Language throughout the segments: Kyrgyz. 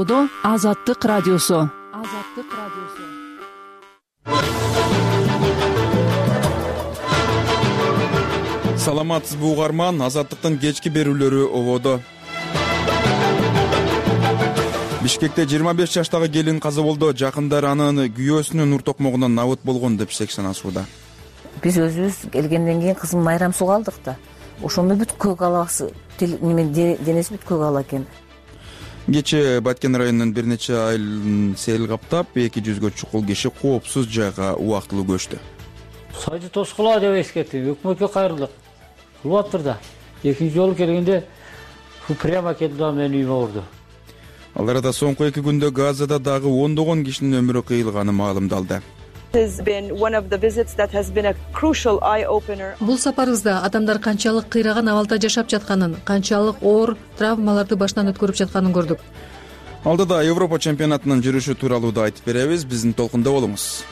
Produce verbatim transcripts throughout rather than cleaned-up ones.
Ободо Азаттык радиосу. Азаттык радиосу. Саламатсызбы угарман, Азаттыктын кечки берүүлөрү Ободо. Бишкекте жыйырма беш жаштагы келин каза болду. Жакындар анын күйөөсүнүн ур токмогунан набыт болгон деп шек санашууда. Биз өзүбүз келгенден кийин кызым майрам суу алдык да. Ошондо бүт көк аласы, денеси бүт көк ала экен. Кечээ Баткен районунун бир нече айылын сел каптап, эки жүзгө чукул киши коопсуз жайга убактылуу көчтү. Сайды тоскула деп эскертти. Өкмөткө кайрылдык. Кылып атыр да. Экинчи жолу келгенде прямо келди да менин үйүмө урду. Ал арада соңку эки күндө Газада дагы ондогон кишинин өмүрү кыйылганы маалымдалды. Бул сапарыбызда адамдар канчалык кыйраган абалда жашап жатканын, канчалык оор травмаларды башынан өткөрүп жатканын көрдүк. Алдыда Европа чемпионатынын жүрүшү тууралуу да айтып беребиз. Биздин толкунда болуңуз.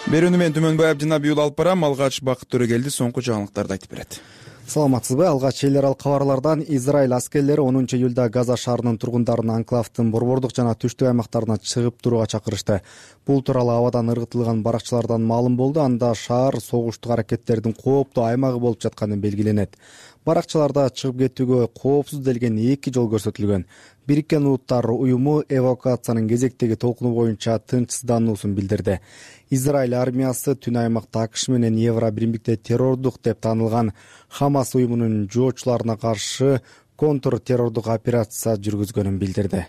Берүүнү мен Түмөнбай Абдинабиул алып барам. Алгач Бакыт Төрөгелди соңку жаңылыктарды айтып берет. Саламатсызбы? Алгач эл аралык кабарлардан Израиль аскерлери онунчу июлда Газа шаарынын тургундарын анклавдын борбордук жана түштүк аймактарына чыгып турууга чакырышты. Бул тууралуу абадан ыргытылган баракчалардан маалым болду. Анда шаар согуштук аракеттердин кооптуу аймагы болуп жатканы белгиленет. Баракчаларда чыгып кетүүгө коопсуз делген эки жол көрсөтүлгөн. Бириккен Улуттар уюму эвакуациянын кезектеги толкуну боюнча тынчсыздануусун билдирди. Израиль армиясы түн аймакта АКШ менен Евро биримдикте террордук деп таанылган Хамас уюмунун жоочуларына каршы контр террордук операция жүргүзгөнүн билдирди.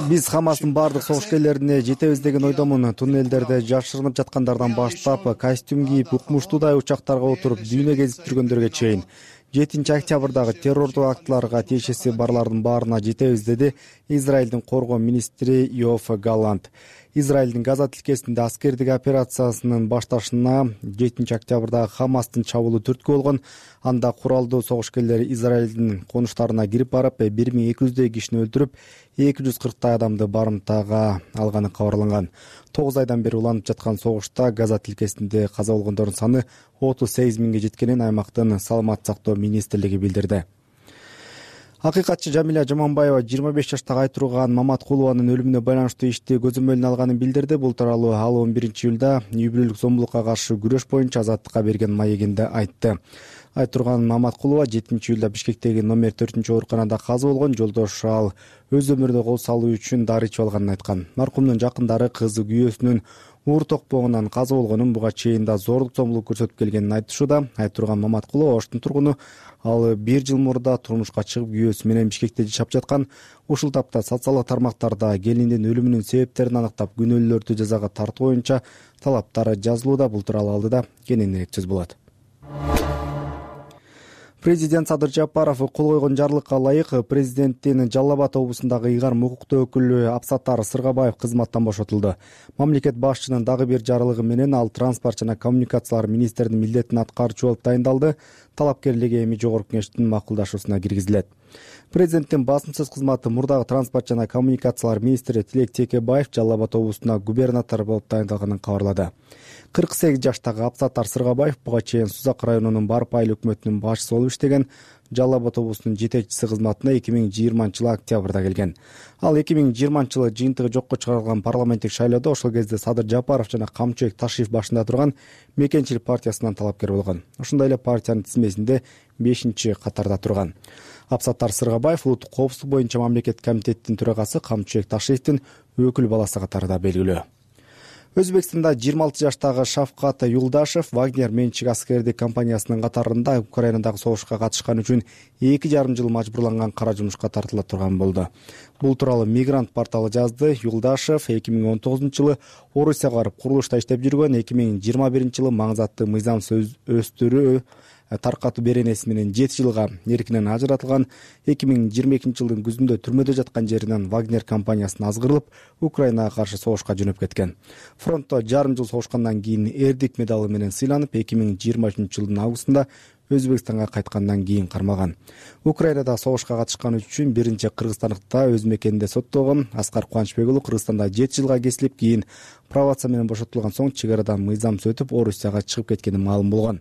Биз Хамастын бардык согушкерлерине жетебиз деген ойдомун. Туннелдерде жашырынып жаткандардан баштап, костюм кийип, укмуштуудай учактарга отуруп дүйнө кезип жүргөндөргө чейин жетинчи октябрдагы террордук актыларга тиешеси барлардын баарына жетебиз, деди Израилдин коргоо министри Йоаф Галлант. Израилдин Газа тилкесинде аскердик операциясынын башташына жетинчи октябрда Хамастын чабуулу түрткү болгон. Анда куралдуу согушкерлер Израилдин конуштарына кирип барып, бир миң эки жүздөй кишини өлтүрүп, эки жүз кырктай адамды барымтага алганы кабарланган. тогуз айдан бери уланып жаткан согушта Газа тилкесинде каза болгондордун саны отуз сегиз миңге жеткенин аймактын саламаттык сактоо министрлиги билдирди. Акыйкатчы Жамиля Жаманбаева жыйырма беш жаштагы Айтурган Маматкулованын өлүмүнө байланыштуу ишти көзөмөлүнө алганын билдирди. Бул тууралуу ал он биринчи июлда үй бүлөлүк зомбулукка каршы күрөш боюнча Азаттыкка берген маегинде айтты. Айтурган Маматкулова жетинчи июлда Бишкектеги номер төртүнчү ооруканада каза болгон. Жолдошу ал өз өмүрүнө кол салуу үчүн дары ичип алганын айткан. Маркумдун жакындары кызы күйөөсүнүн уур токпогунан каза болгонун, буга чейин да зордук зомбулук көрсөтүп келгенин айтышууда. Айтурган Маматкулова Оштун тургуну. Ал бир жыл мурда турмушка чыгып күйөөсү менен Бишкекте жашап жаткан. Ушул тапта социалдык тармактарда келиндин өлүмүнүн себептерин аныктап, күнөөлүүлөрдү жазага тартуу боюнча талаптар жазылууда. Бул тууралуу алдыда кененирээк сөз болот. Президент Садыр Жапаров кол койгон жарлыкка ылайык президенттин Жалал Абад облусундагы ыйгарым укуктуу өкүлү Абсаттар Сыргабаев кызматтан бошотулду. Мамлекет башчынын дагы бир жарлыгы менен ал транспорт жана коммуникациялар министринин милдетин аткаруучу болуп дайындалды. Талапкерлиги эми жогорку кеңештин макулдашуусуна киргизилет. Президенттин басымсыз кызматы мурдагы транспорт жана коммуникациялар министри Тилек Текебаев Жалал Абад облусуна губернатор болуп дайындалганын кабарлады. кырк сегиз жаштагы Абсаттар Сыргабаев буга чейин Сузак районунун Барып айыл өкмөтүнүн башчысы болуп иштеген. Жалал Абад облусунун жетекчиси кызматына эки миң жыйырманчы жылы октябрда келген. Ал эки миң жыйырманчы жылы жыйынтыгы жокко чыгарылган парламенттик шайлоодо ошол кезде Садыр Жапаров жана Камчыбек Ташиев башында турган Мекенчилик партиясынан талапкер болгон. Ошондой эле партиянын тизмесинде бешинчи катарда турган. Абсаттар Сыргабаев улуттук коопсуздук боюнча мамлекет комитетинин төрагасы Камчыбек Ташиевдин өкүл баласы катарында белгилүү. Өзбекстанда жыйырма алты жаштагы Шавкат Юлдашев Вагнер менчик аскердик компаниясынын катарында Украинадагы согушка катышкан үчүн эки жарым жыл мажбурланган кара жумушка тартыла турган болду. Бул тууралуу Мигрант порталы жазды. Юлдашев эки миң он тогузунчу жылы Орусияга барып курулушта иштеп жүргөн. эки миң жыйырма биринчи жылы маңызаттуу мыйзам өстүрүү таркатуу беренеси менен жети жылга эркинен ажыратылган. эки миң жыйырма экинчи жылдын күзүндө түрмөдө жаткан жеринен Вагнер компаниясына азгырылып, Украинага каршы согушка жөнөп кеткен. Фронтто жарым жыл согушкандан кийин эрдик медалы менен сыйланып, эки миң жыйырма үчүнчү жылдын августунда Өзбекстанга кайткандан кийин кармалган. Украинада согушка катышкан үчүн биринчи кыргызстандыкта өз мекенинде соттолгон. Аскар Кубанычбек уулу Кыргызстанда жети жылга кесилип, кийин пробация менен бошотулган соң чек арадан мыйзамсыз өтүп Орусияга чыгып кеткени маалым болгон.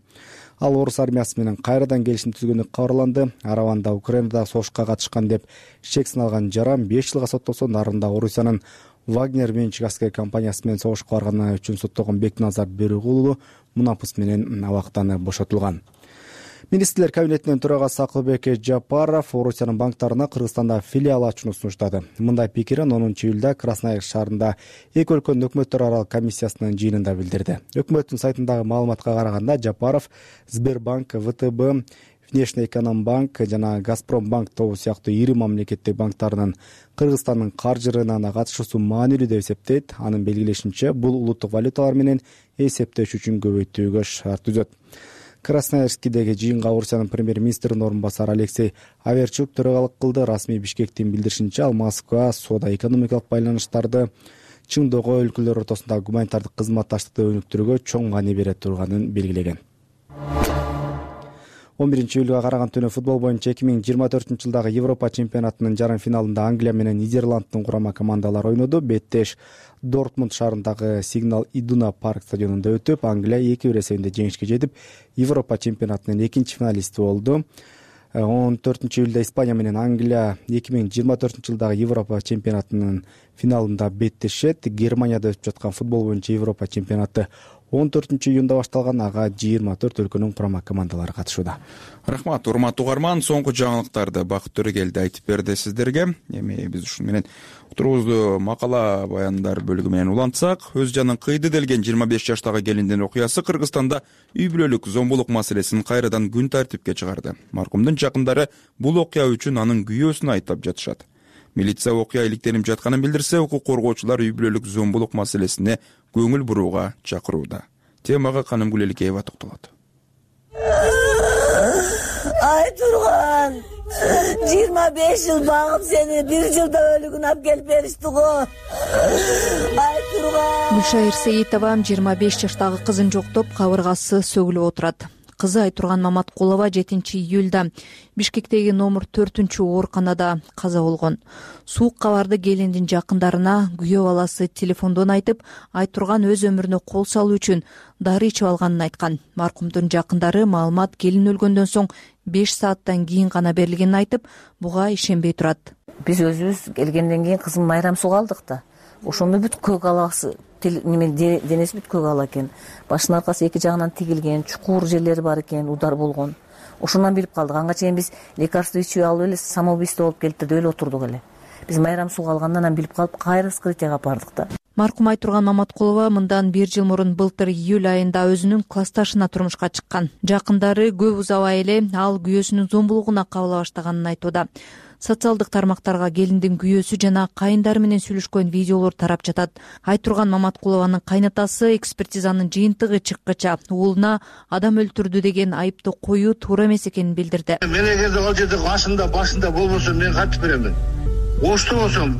Ал орус армиясы менен кайрадан келишим түзгөнү кабарланды. Араванда Украинада согушка катышкан деп шек сыналган жаран беш жылга соттолсо, нарында Орусиянын Вагнер менчик аскер компаниясы менен согушка барганы үчүн соттолгон Бекназар Бөрүгулу мунапыс менен абактан бошотулган. Министрлер кабинетинин төрагасы Акылбек Жапаров Орусиянын банктарына Кыргызстанда филиал ачууну сунуштады. Мындай пикирин онунчу июлда Красноярск шаарында эки өлкөнүн өкмөттөр аралык комиссиясынын жыйынында билдирди. Өкмөттүн сайтындагы маалыматка караганда Жапаров Сбербанк, ВТБ, Внешнеэкономбанк жана Газпромбанк тобу сыяктуу ири мамлекеттик банктарынын Кыргызстандын каржы рыногуна катышуусу маанилүү деп эсептейт. Анын белгилешинче, бул улуттук валюталар менен эсептеш үчүн көбөйтүүгө шарт түзөт. Красноярскидеги жыйынга Орусиянын премьер-министринин орун басары Алексей Аверчук төрагалык кылды. Расмий Бишкектин билдиришинче, ал Москва соода-экономикалык байланыштарды чыңдоого, өлкөлөр ортосундагы гуманитардык кызматташтыкты өнүктүрүүгө чоң маани бере турганын белгилеген. он биринчи июлга караган түнү футбол боюнча эки миң жыйырма төртүнчү жылдагы Европа чемпионатынын жарым финалында Англия менен Нидерланддын курама командалары ойноду. Беттеш Дортмунд шаарындагы Сигнал Идуна парк стадионунда өтүп, Англия эки бир эсебинде жеңишке жетип, Европа чемпионатынын экинчи финалисти болду. он төртүнчү июлда Испания менен Англия эки миң жыйырма төртүнчү жылдагы Европа чемпионатынын финалында беттешет. Германияда өтүп жаткан футбол боюнча Европа чемпионаты он төртүнчү июнда башталган. Ага жыйырма төрт өлкөнүн курама командалары катышууда. Рахмат, урматтуу угарман. Соңку жаңылыктарды Бакыт Төрөгелди айтып берди сиздерге. Эми биз ушун менен отурубузду макала баяндар бөлүгү менен улантсак, өз жанын кыйды делген жыйырма беш жаштагы келиндин окуясы Кыргызстанда үй бүлөлүк зомбулук маселесин кайрадан күн тартипке чыгарды. Маркумдун жакындары бул окуя үчүн анын күйөөсүн айтып жатышат. Милиция окуя иликтенип жатканын билдирсе, укук коргоочулар үй бүлөлүк зомбулук маселесине көңүл бурууга чакырууда. Темага Каным Гүлеликеева токтолот. Ай турган, жыйырма беш жыл багып сени бир жылда өлүгүн алып келип беришти го. Ай турган. Гүлшайыр Сейитова жыйырма беш жаштагы кызын жоктоп, кабыргасы сөгүлүп отурат. Кызы Айтурган Маматкулова жетинчи июлда Бишкектеги номер төртүнчү ооруканада каза болгон. Суук кабарды келиндин жакындарына күйөө баласы телефондон айтып, Айтурган өз өмүрүнө кол салуу үчүн дары ичип алганын айткан. Маркумдун жакындары маалымат келин өлгөндөн соң беш сааттан кийин гана берилгенин айтып, буга ишенбей турат. Биз өзүбүз келгенден кийин кызым майрам суга алдык да. Ошондо бүт көк аласы неме денеси бүт көк ала экен. Башынын аркасы эки жагынан тигилген, чукур жерлери бар экен, удар болгон. Ошондон билип калдык. Анга чейин биз лекарство ичип алып эле самоубийство болуп келип деп эле отурдук эле. Биз майрам суга алгандан анан билип калып, кайра вскрытияга бардык да. Маркум Айтурган Маматкулова мындан бир жыл мурун былтыр июль айында өзүнүн классташына турмушка чыккан. Жакындары көп узабай эле ал күйөөсүнүн зомбулугуна кабыла баштаганын айтууда. Социалдык тармактарга келиндин күйөөсү жана кайындары менен сүйлөшкөн видеолор тарап жатат. Айтурган Маматкулованын кайнатасы экспертизанын жыйынтыгы чыккыча уулуна адам өлтүрдү деген айыпты коюу туура эмес экенин билдирди. Мен эгерде ал жерде башында башында болбосо мен кантип беремин? Ошто болсом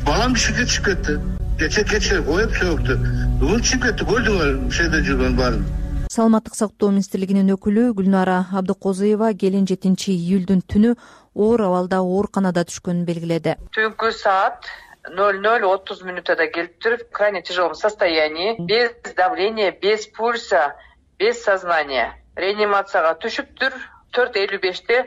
балам түшүп чыгып кетти. Кече кече коюп сөктү. Бүгүн чыгып кетти, көрдүңөр шеде жүргөн баарын. Саламаттык сактоо министрлигинин өкүлү Гүлнара Абдыкозуева келин жетинчи июлдун түнү оор абалда ооруканада түшкөнүн белгиледи. Түнкү саат ноль ноль отуз минутада келиптир, в крайне тяжелом состоянии, без давления, без пульса, без сознания. Реанимацияга түшүптүр. төрт элүү беште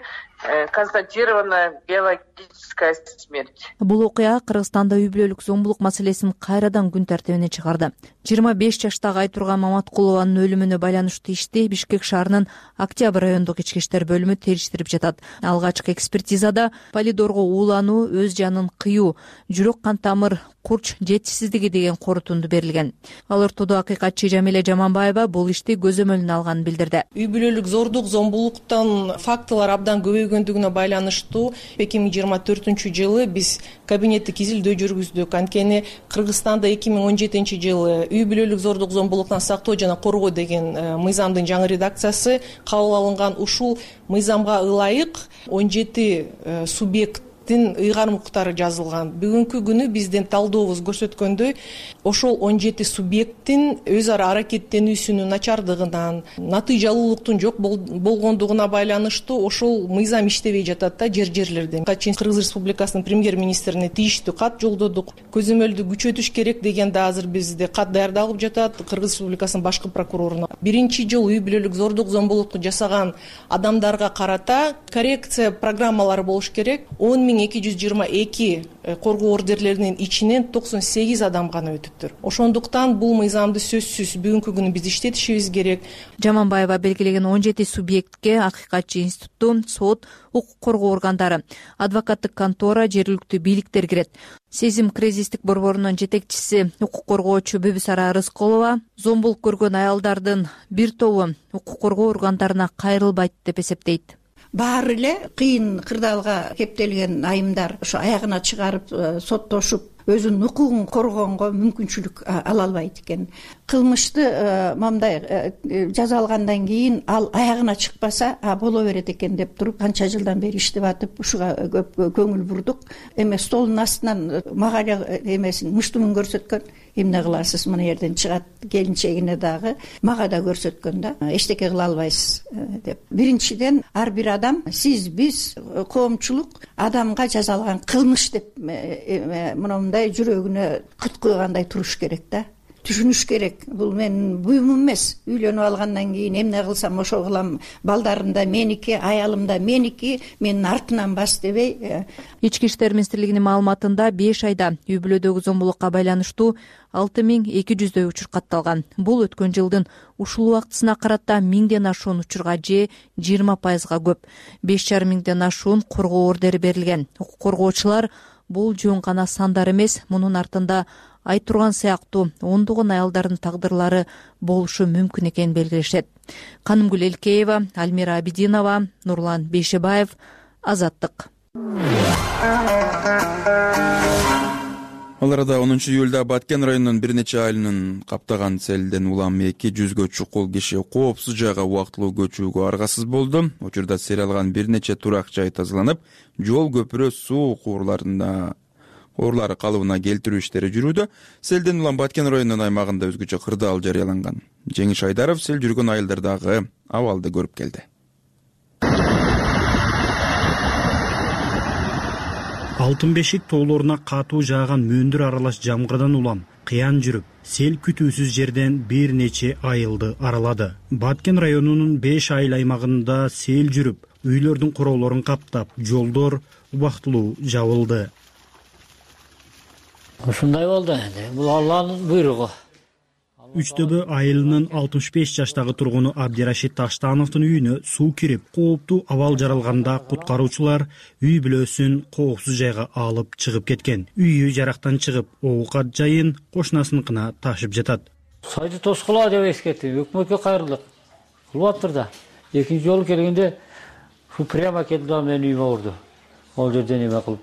констатирована биологическая смерть. Бул окуя Кыргызстанда үй бүлөлүк зомбулук маселесин кайрадан күн тартибине чыгарды. жыйырма беш жаштагы Айтурган Маматкулованын өлүмүнө байланыштуу ишти Бишкек шаарынын Октябрь райондук ички иштер бөлүмү териштирип жатат. Алгачкы экспертизада полидорго уулануу, өз жанын кыюу, жүрөк кан тамыр курч жетишсиздиги деген корутунду берилген. Ал ортодо акыйкатчы Жамиле Жаманбаева бул ишти көзөмөлүнө алганын билдирди. Үй бүлөлүк зордук, зомбулуктан фактылар абдан көбөйгөндүгүнө байланыштуу эки миң жыйырма төртүнчү жылы биз кабинеттик изилдөө жүргүздүк. Анткени Кыргызстанда эки миң он жетинчи жылы үй бүлөлүк зордук, зомбулуктан сактоо жана коргоо деген мыйзамдын жаңы редакциясы кабыл алынган. Ушул мыйзамга ылайык он жети субъект субъекттин ыйгарым укуктары жазылган. Бүгүнкү күнү биздин талдообуз көрсөткөндөй, ошол он жети субъекттин өз ара аракеттенүүсүнүн начардыгынан, натыйжалуулуктун жок болгондугуна байланыштуу ошол мыйзам иштебей жатат да жер жерлерде. Кыргыз Республикасынын премьер-министрине тийиштүү кат жолдодук. Көзөмөлдү күчөтүш керек деген да азыр бизде кат даярдалып жатат Кыргыз Республикасынын башкы прокуроруна. Биринчи жолу үй бүлөлүк зордук зомбулукту жасаган адамдарга карата коррекция программалары болуш керек. он миң эки жүз жыйырма эки коргоо ордерлеринин ичинен токсон сегиз адам гана өтүптүр. Ошондуктан бул мыйзамды сөзсүз бүгүнкү күнү биз иштетишибиз керек. Жаманбаева белгилеген он жети субъектке акыйкатчы институту, сот, укук коргоо органдары, адвокаттык контора, жергиликтүү бийликтер кирет. Сезим кризистик борборунун жетекчиси, укук коргоочу Бүбүсара Рысколова зомбулук көргөн аялдардын бир тобу укук коргоо органдарына кайрылбайт деп эсептейт. Баары эле кыйын кырдаалга кептелген айымдар ошо аягына чыгарып соттошуп өзүнүн укугун коргоонго мүмкүнчүлүк ала албайт экен. Кылмышты мындай жаза алгандан кийин ал аягына чыкпаса боло берет экен деп туруп канча жылдан бери иштеп атып ушуга көп көңүл бурдук. Эме столдун астынан мага эмесин муштумун көрсөткөн. Эмне кыласыз, мына жерден чыгат келинчегине дагы мага да көрсөткөн да. Эчтеке кыла албайсыз деп. Биринчиден ар бир адам сиз биз коомчулук адамга жазалган кылмыш деп мындай жүрөгүнө кыт куйгандай туруш керек да. Түшүнүш керек. Бул менин буюмум эмес. Үйлөнүп алгандан кийин эмне кылсам ошо кылам. Балдарым да меники, аялым да меники, менин артынан бас дебей. Ички иштер министрлигинин маалыматында беш айда үй бүлөдөгү зомбулукка байланыштуу алты миң эки жүздөй учур катталган. Бул өткөн жылдын ушул убактысына карата миңден ашуун учурга же жыйырма пайызга көп. беш жарым миңден ашуун коргоо ордери берилген. Укук коргоочулар бул жөн гана сандар эмес, мунун артында айтурган сыяктуу ондогон аялдардын тагдырлары болушу мүмкүн экенин белгилешет. Канымгүл Элкеева, Альмира Абидинова, Нурлан Бейшебаев, Азаттык. Ал арада онунчу июлда Баткен районунун бир нече айылынын каптаган селден улам эки жүзгө чукул киши коопсуз жайга убактылуу көчүүгө аргасыз болду. Учурда сел алган бир нече турак жай тазаланып, жол, көпүрө, суу куурларында Орлары калыбына келтирүү иштери жүрүүдө. Селден улам Баткен районунун аймагында өзгөчө кырдаал жарыяланган. Жеңиш Айдаров сел жүргөн айылдардагы абалды көрүп келди. Алтын бешик тоолоруна катуу жааган мөндүр аралаш жамгырдан улам кыян жүрүп, сел күтүүсүз жерден бир нече айылды аралады. Баткен районунун беш айыл аймагында сел жүрүп, үйлөрдүн короолорун каптап, жолдор убактылуу жабылды. Ушундай болду энди. Бул Алланын буйругу. Үчтөбө айылынын алтымыш беш жаштагы тургуну Абдирашид Таштановдун үйүнө суу кирип, кооптуу абал жаралганда куткаруучулар үй бүлөсүн коопсуз жайга алып чыгып кеткен. Үйү жарактан чыгып, оокат жайын кошунасыныкына ташып жатат. Сайды тоскула деп эскертти. Өкмөткө кайрылдык. Кылып да. Экинчи жолу келгенде шу прямо келди да менин үйүмө урду. Ол жерден эме кылып.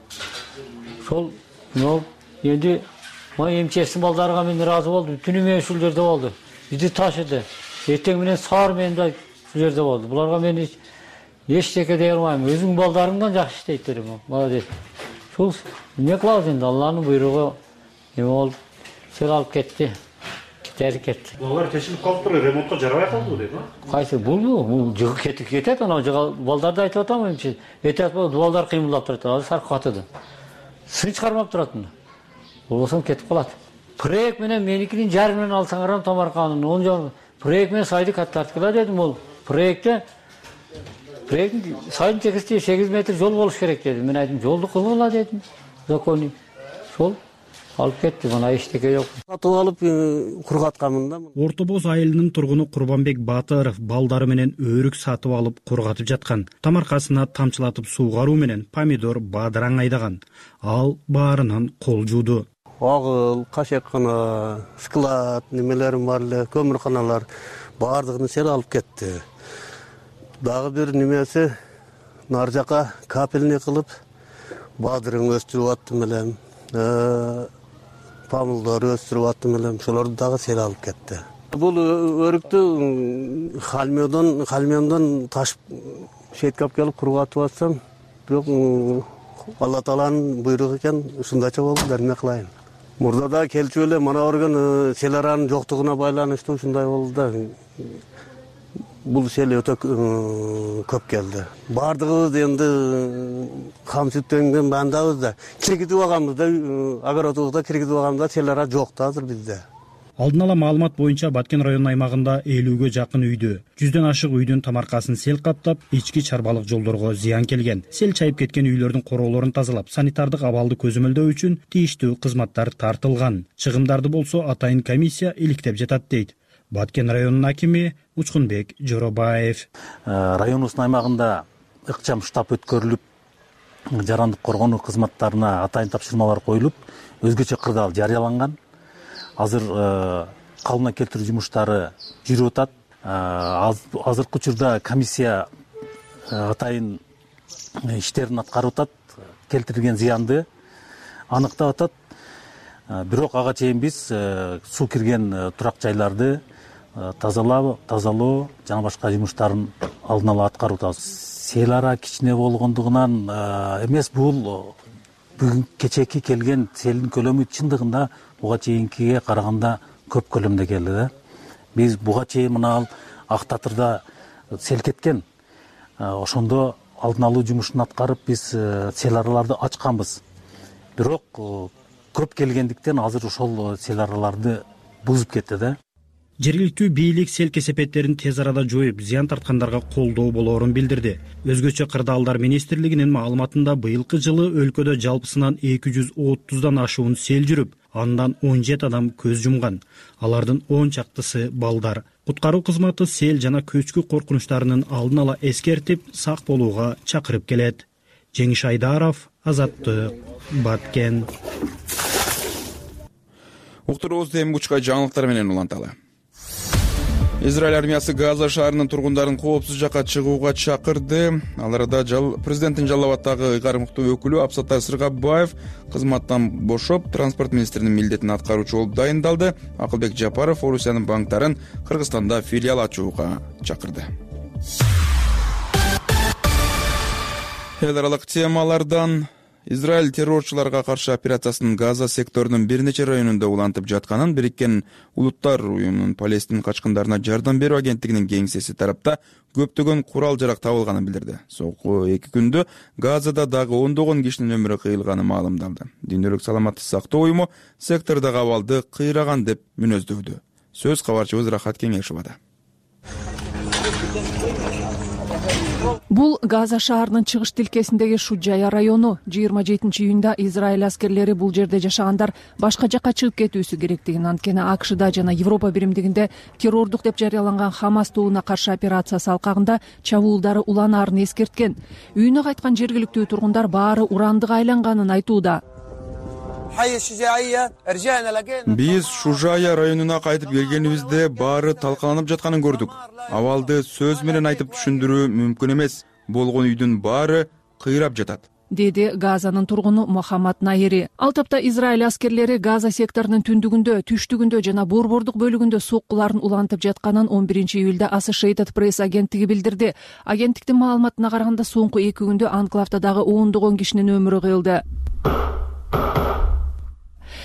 Сол но Енді май эмчестин балдарга мен ыраазы болдум. Түнү менен ушул жерде болду. Бизди ташыды. Эртең менен саар менен да ушул жерде болду. Буларга мен эчтеке дей албайм. Өзүң балдарыңдан жакшы иштейт дедим. Молодец. Ушул эмне кылабыз энди? Алланын буйругу эме болуп сел алып кетти. Кетери кетти. Булар тешилип калыптыр, ремонтко жарабай калды дейт, а? Кайсы булбу? Бул жыгып кетип кетет, анау жыга балдарды айтып атам эмчи. Этет балдар кыймылдап турат. Азыр саркып катыды. Сын чыгармап турат мына. Болсом кетип калат. Проект менен меникинин жарымын алсаңар Томарканын он жол проект менен сайды каттарткыла дедим. Ол проектте проект сайдын чекисти сегиз метр жол болуш керек деди. Мен айттым, жолду кылгыла дедим. Законный. Сол алып кетти, мына эчтеке жок. Сатып алып кургатканмын да. Орто Боз айылынын тургуну Курбанбек Батыров балдары менен өрүк сатып алып кургатып жаткан. Тамаркасына тамчылатып суугаруу менен помидор, бадыраң айдаган. Ал баарынан кол жууду. Агыл, кашеккана, склад, немелерим бар эле, көмүрканалар баардыгын сел алып кетти. Дагы бир немеси нар жака капельный кылып бадырың өстүрүп аттым элем. Помидор өстүрүп аттым элем. Шолорду дагы сел алып кетти. Бул өрүктү халмёдон, халмёндон ташып шеткап келип кургатып атсам, бирок Алла Тааланын буйругу экен, ушундайча болду, эмне кылайын. Мурда да келчү эле мана көргөн сел аранын жоктугуна байланыштуу ушундай болду да. Бул сел өтө көп келди. Бардыгыбыз энди кам сүттөнгөн бандабыз да. Киргизип алганбыз да, огородубузда киргизип алганбыз да, сел ара жок да азыр бизде. Алдын ала маалымат боюнча Баткен районунун аймагында элүүгө жакын үйдү, жүздөн ашык үйдүн тамаркасын сел каптап, ички чарбалык жолдорго зыян келген. Сел чайып кеткен үйлөрдүн короолорун тазалап, санитардык абалды көзөмөлдөө үчүн тийиштүү кызматтар тартылган. Чыгымдарды болсо атайын комиссия иликтеп жатат дейт Баткен районунун акими Учкунбек Жоробаев. Районубуздун аймагында ыкчам штаб өткөрүлүп, жарандык коргонуу кызматтарына атайын тапшырмалар коюлуп, өзгөчө кырдаал жарыяланган. Азыр калыбына келтирүү жумуштары жүрүп атат. Азыркы учурда комиссия атайын иштерин аткарып атат, келтирилген зыянды аныктап атат. Бирок ага чейин биз суу кирген турак жайларды тазалоо, тазалоо жана башка жумуштарын алдын ала аткарып атабыз. Сел ара кичине болгондугунан эмес, бул бүгүн кечээки келген селдин көлөмү чындыгында буга чейинкиге караганда көп көлөмдө келди да. Биз буга чейин мына Ак Татырда сел кеткен. Ошондо алдын алуу жумушун аткарып биз сел араларды ачканбыз. Бирок көп келгендиктен азыр ошол сел араларды бузуп кетти да. Жергиликтүү бийлик сел кесепеттерин тез арада жоюп, зыян тарткандарга колдоо болоорун билдирди. Өзгөчө кырдаалдар министрлигинин маалыматында быйылкы жылы өлкөдө жалпысынан эки жүз отуздан ашуун сел жүрүп, андан он жети адам көз жумган. Алардын он чактысы балдар. Куткаруу кызматы сел жана көчкү коркунучтарынын алдын ала эскертип, сак болууга чакырып келет. Жеңиш Айдаров, Азаттык, Баткен. Уктуруубузду эми бучка жаңылыктар менен уланталы. Израиль армиясы Газа шаарынын тургундарын коопсуз жакка чыгууга чакырды. Ал арада президенттин Жалал Абаддагы ыйгарым укуктуу өкүлү Абсаттар Сыргабаев кызматтан бошоп, транспорт министринин милдетин аткаруучу болуп дайындалды. Акылбек Жапаров Орусиянын банктарын Кыргызстанда филиал ачууга чакырды. Эл аралык темалардан Израиль террорчуларга каршы операциясынын Газа секторунун бир нече районунда улантып жатканын Бириккен Улуттар уюмунун Палестин качкындарына жардам берүү агенттигинин кеңсеси тарапта көптөгөн курал жарак табылганын билдирди. Соңку эки күндө Газада дагы ондогон кишинин өмүрү кыйылганы маалымдалды. Дүйнөлүк саламаттык сактоо уюму сектордогу абалды кыйраган деп мүнөздөөдү. Сөз кабарчыбыз Рахат Кеңешовада. Бул Газа шаарынын чыгыш тилкесиндеги Шуджая району. жыйырма жетинчи июнда Израиль аскерлери бул жерде жашагандар башка жакка чыгып кетүүсү керектигин, анткени АКШда жана Европа биримдигинде террордук деп жарыяланган Хамас тобуна каршы операциясы алкагында чабуулдары уланаарын эскерткен. Үйүнө кайткан жергиликтүү тургундар баары урандык айланганын айтууда. Биз Шужая районуна кайтып келгенибизде баары талкаланып жатканын көрдүк. Абалды сөз менен айтып түшүндүрүү мүмкүн эмес. Болгон үйдүн баары кыйрап жатат, деди Газанын тургуну Мухаммад Найри. Ал тапта Израиль аскерлери Газа секторунун түндүгүндө, түштүгүндө жана борбордук бөлүгүндө соккуларын улантып жатканын он биринчи июлда Associated Press агенттиги билдирди. Агенттиктин маалыматына караганда соңку эки күндө анклавда дагы ондогон кишинин өмүрү кыйылды.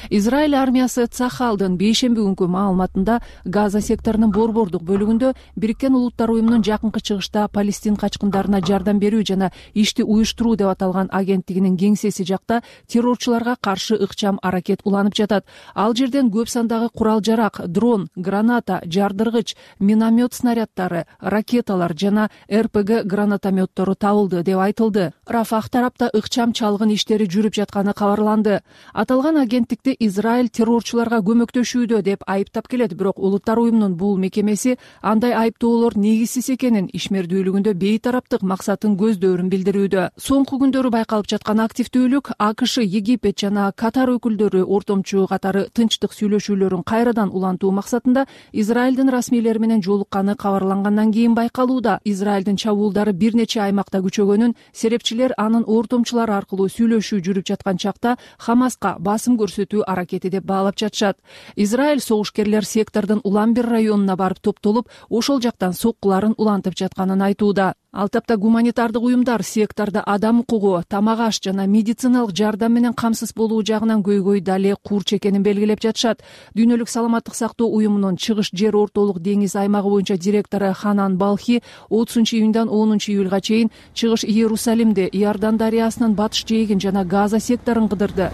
Израиль армиясы Цахалдын бейшемби күнкү маалыматында Газа секторунун борбордук бөлүгүндө Бириккен Улуттар уюмунун жакынкы чыгышта Палестин качкындарына жардам берүү жана ишти уюштуруу деп аталган агенттигинин кеңсеси жакта террорчуларга каршы ыкчам аракет уланып жатат. Ал жерден көп сандагы курал жарак, дрон, граната, жардыргыч, миномет снаряддары, ракеталар жана эр пэ гэ гранатометтору табылды деп айтылды. Рафах тарапта ыкчам чалгын иштери жүрүп жатканы кабарланды. Аталган агенттикти Израиль террорчуларга көмөктөшүүдө деп айыптап келет, бирок Улуттар уюмунун бул мекемеси андай айыптоолор негизсиз экенин, ишмердүүлүгүндө бейтараптык максатын көздөрүн билдирүүдө. Соңку күндөрү байкалып жаткан активдүүлүк АКШ, Египет жана Катар өкүлдөрү ортомчу катары тынчтык сүйлөшүүлөрүн кайрадан улантуу максатында Израилдин расмийлери менен жолукканы кабарлангандан кийин байкалууда. Израилдин чабуулдары бир нече аймакта күчөгөнүн, серепчилер анын ортомчулары аркылуу сүйлөшүү жүрүп жаткан чакта Хамаска басым көрсөтүү аракети деп баалап жатышат. Израиль согушкерлер сектордун улам бир районуна барып топтолуп, ошол жактан соккуларын улантып жатканын айтууда. Ал тапта гуманитардык уюмдар сектордо адам укугу, тамак аш жана медициналык жардам менен камсыз болуу жагынан көйгөй дале курч экенин белгилеп жатышат. Дүйнөлүк саламаттык сактоо уюмунун чыгыш жер ортолук деңиз аймагы боюнча директору Ханан Балхи отузунчу июньдан онунчу июлга чейин чыгыш Иерусалимде, Иордан дарыясынын батыш жээгин жана Газа секторун кыдырды.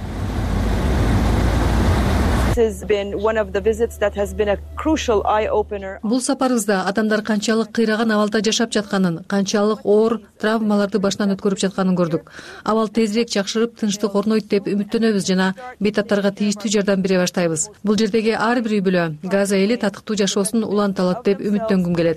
Бул сапарыбызда адамдар канчалык кыйраган абалда жашап жатканын, канчалык оор травмаларды башынан өткөрүп жатканын көрдүк. Абал тезирээк жакшырып, тынчтык орнойт деп үмүттөнөбүз жана бейтаптарга тийиштүү жардам бере баштайбыз. Бул жердеги ар бир үй бүлө Газа эли татыктуу жашоосун уланта алат деп үмүттөнгүм келет.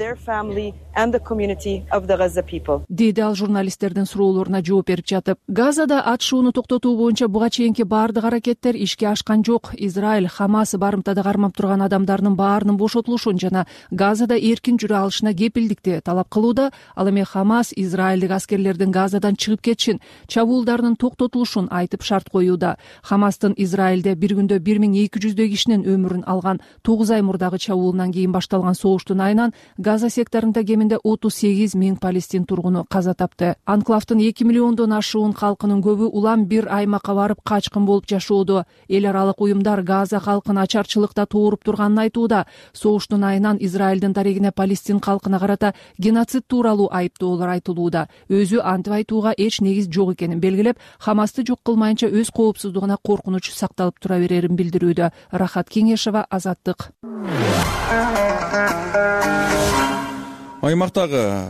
Деди ал журналисттердин суроолоруна жооп берип жатып. Газада атышууну токтотуу боюнча буга чейинки баардык аракеттер ишке ашкан жок. Израиль Хамас барымтада кармап турган адамдардын баарынын бошотулушун жана Газада эркин жүрө алышына кепилдикти талап кылууда. Ал эми Хамас израилдик аскерлердин Газадан чыгып кетишин, чабуулдарынын токтотулушун айтып шарт коюуда. Хамастын Израилде бир күндө бир миң эки жүздөй кишинин өмүрүн алган тогуз ай мурдагы чабуулунан кийин башталган согуштун айынан Газа секторунда кеминде отуз сегиз миң палестин тургуну каза тапты. Анклавдын эки миллиондон ашуун калкынын көбү улам бир аймакка барып качкын болуп жашоодо. Эл аралык уюмдар Газа калкын ачарчылыкта тууруп турганын айтууда. Согуштун айынан Израилдин дарегине палестин калкына карата геноцид тууралуу айыптоолор айтылууда. Өзү антип айтууга эч негиз жок экенин белгилеп, Хамасты жок кылмайынча өз коопсуздугуна коркунуч сакталып тура берерин билдирүүдө. Рахат Кеңешева, Азаттык. Аймактагы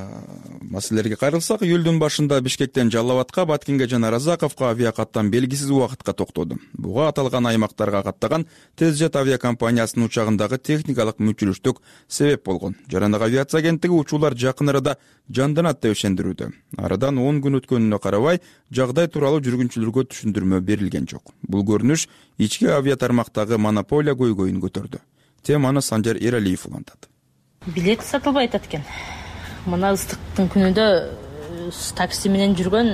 маселелерге кайрылсак, июлдун башында Бишкектен Жалал Абадка, Баткенге жана Разаковго авиакаттан белгисиз убакытка токтоду. Буга аталган аймактарга каттаган Тезжет авиакомпаниясынын учагындагы техникалык мүчүлүштүк себеп болгон. Жарандык авиация агенттиги учуулар жакын арада жанданат деп ишендирүүдө. Арадан он күн өткөнүнө карабай, жагдай тууралуу жүргүнчүлөргө түшүндүрмө берилген жок. Бул көрүнүш ички авиатармактагы монополия көйгөйүн көтөрдү. Теманы Санжар Эралиев улантат. Билет сатылбай атат экен. Мына ыстыктын күнүндө такси менен жүргөн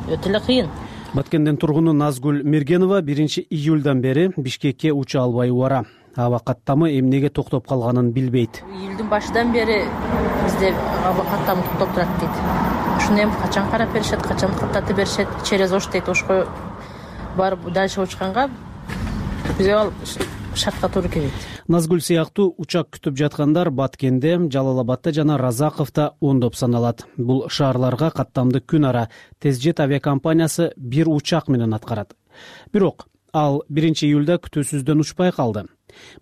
өтө эле кыйын. Баткендин тургуну Назгүл Мергенова биринчи июлдан бери Бишкекке уча албай убара. Аба каттамы эмнеге токтоп калганын билбейт. Июлдун башынан бери бизде аба каттамы токтоп турат дейт. Ушуну эми качан карап беришет, качан каттатып беришет, через ош дейт. Ошко барып дальше учканга бизге шартка туура келет. Назгүл сыяктуу учак күтүп жаткандар Баткенде, Жалал Абадта жана Разаковдо ондоп саналат. Бул шаарларга каттамды күн ара Тезжет авиакомпаниясы бир учак менен аткарат. Бирок ал биринчи июлда күтүүсүздөн учпай калды.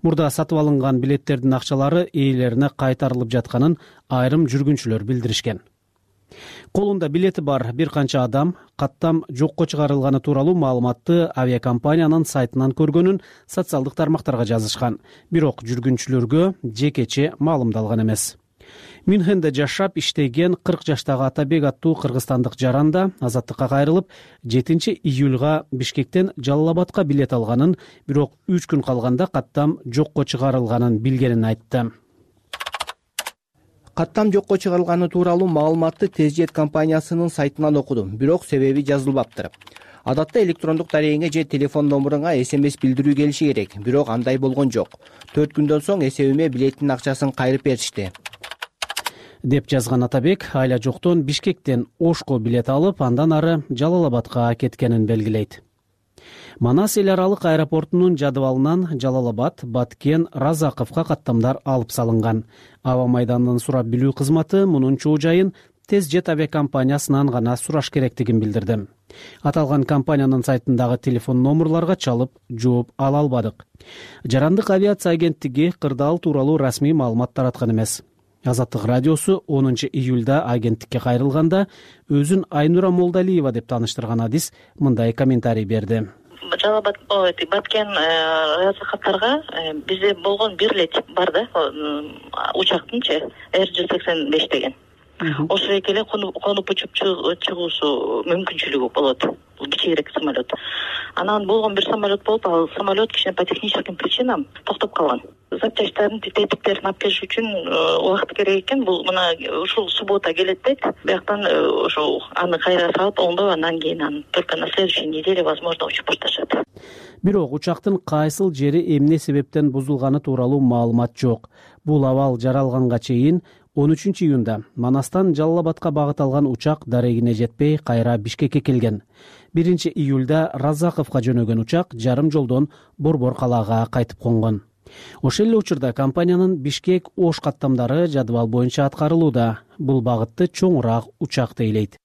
Мурда сатып алынган билеттердин акчалары ээлерине кайтарылып жатканын айрым жүргүнчүлөр билдиришкен. Колунда билети бар бир канча адам каттам жокко чыгарылганы тууралуу маалыматты авиакомпаниянын сайтынан көргөнүн социалдык тармактарга жазышкан. Бирок жүргүнчүлөргө жекече маалымдалган эмес. Мюнхенде жашап иштеген кырк жаштагы Атабек аттуу кыргызстандык жаранда Азаттыкка кайрылып, жетинчи июлга Бишкектен Жалал Абадка билет алганын, бирок үч күн калганда каттам жокко чыгарылганын билгенин айтты. Каттам жокко чыгарылганы тууралуу маалыматты Тезжет компаниясынын сайтынан окудум, бирок себеби жазылбаптыр. Адатта электрондук дарегиңе же телефон номуруңа эс эм эс билдирүү келиши керек, бирок андай болгон жок. төрт күндөн соң эсебиме билеттин акчасын кайрып беришти, деп жазган Атабек айла жоктон Бишкектен Ошко билет алып, андан ары Жалал Абадка кеткенин белгилейт. Манас эл аралык аэропортунун жадыбалынан Жалал Абад, Баткен, Разаковго каттамдар алып салынган. Аба майданынын сурап билүү кызматы мунун чоо жайын Тезжет авиакомпаниясынан гана сураш керектигин билдирди. Аталган компаниянын сайтындагы телефон номурларга чалып жооп ала албадык. Жарандык авиация агенттиги кырдаал тууралуу расмий маалымат тараткан эмес. Азаттык радиосу онунчу июлда агенттикке кайрылганда өзүн Айнура Молдалиева деп тааныштырган адис мындай комментарий берди. Жалал Абад, Баткен, Разаковдарга бизде болгон бир эле тип бар да, учактынчы эр жүз сексен беш деген. Ошо эле конуп учуп чыгуусу мүмкүнчүлүгү болот. Бул кичи кичиирээк самолет. Анан болгон бир самолет болуп, ал самолет кичине по техническим причинам токтоп калган. Запчастьтарын, тетиктерин алып келиш үчүн убакыт керек экен. Бул мына ушул суббота келет дейт. Бияктан ошол аны кайра салып, оңдоп, андан кийин аны только на следующей неделе возможно учуп башташат. Бирок учактын кайсыл жери эмне себептен бузулганы тууралуу маалымат жок. Бул абал жаралганга чейин он үчүнчү июнда Манастан Жалал Абадка багыт алган учак дарегине жетпей кайра Бишкекке келген. биринчи июлда Разаковго жөнөгөн учак жарым жолдон Борбор калаага кайтып конгон. Ошол эле учурда компаниянын Бишкек Ош каттамдары жадыбал боюнча аткарылууда. Бул багытты чоңураак учак тейлейт.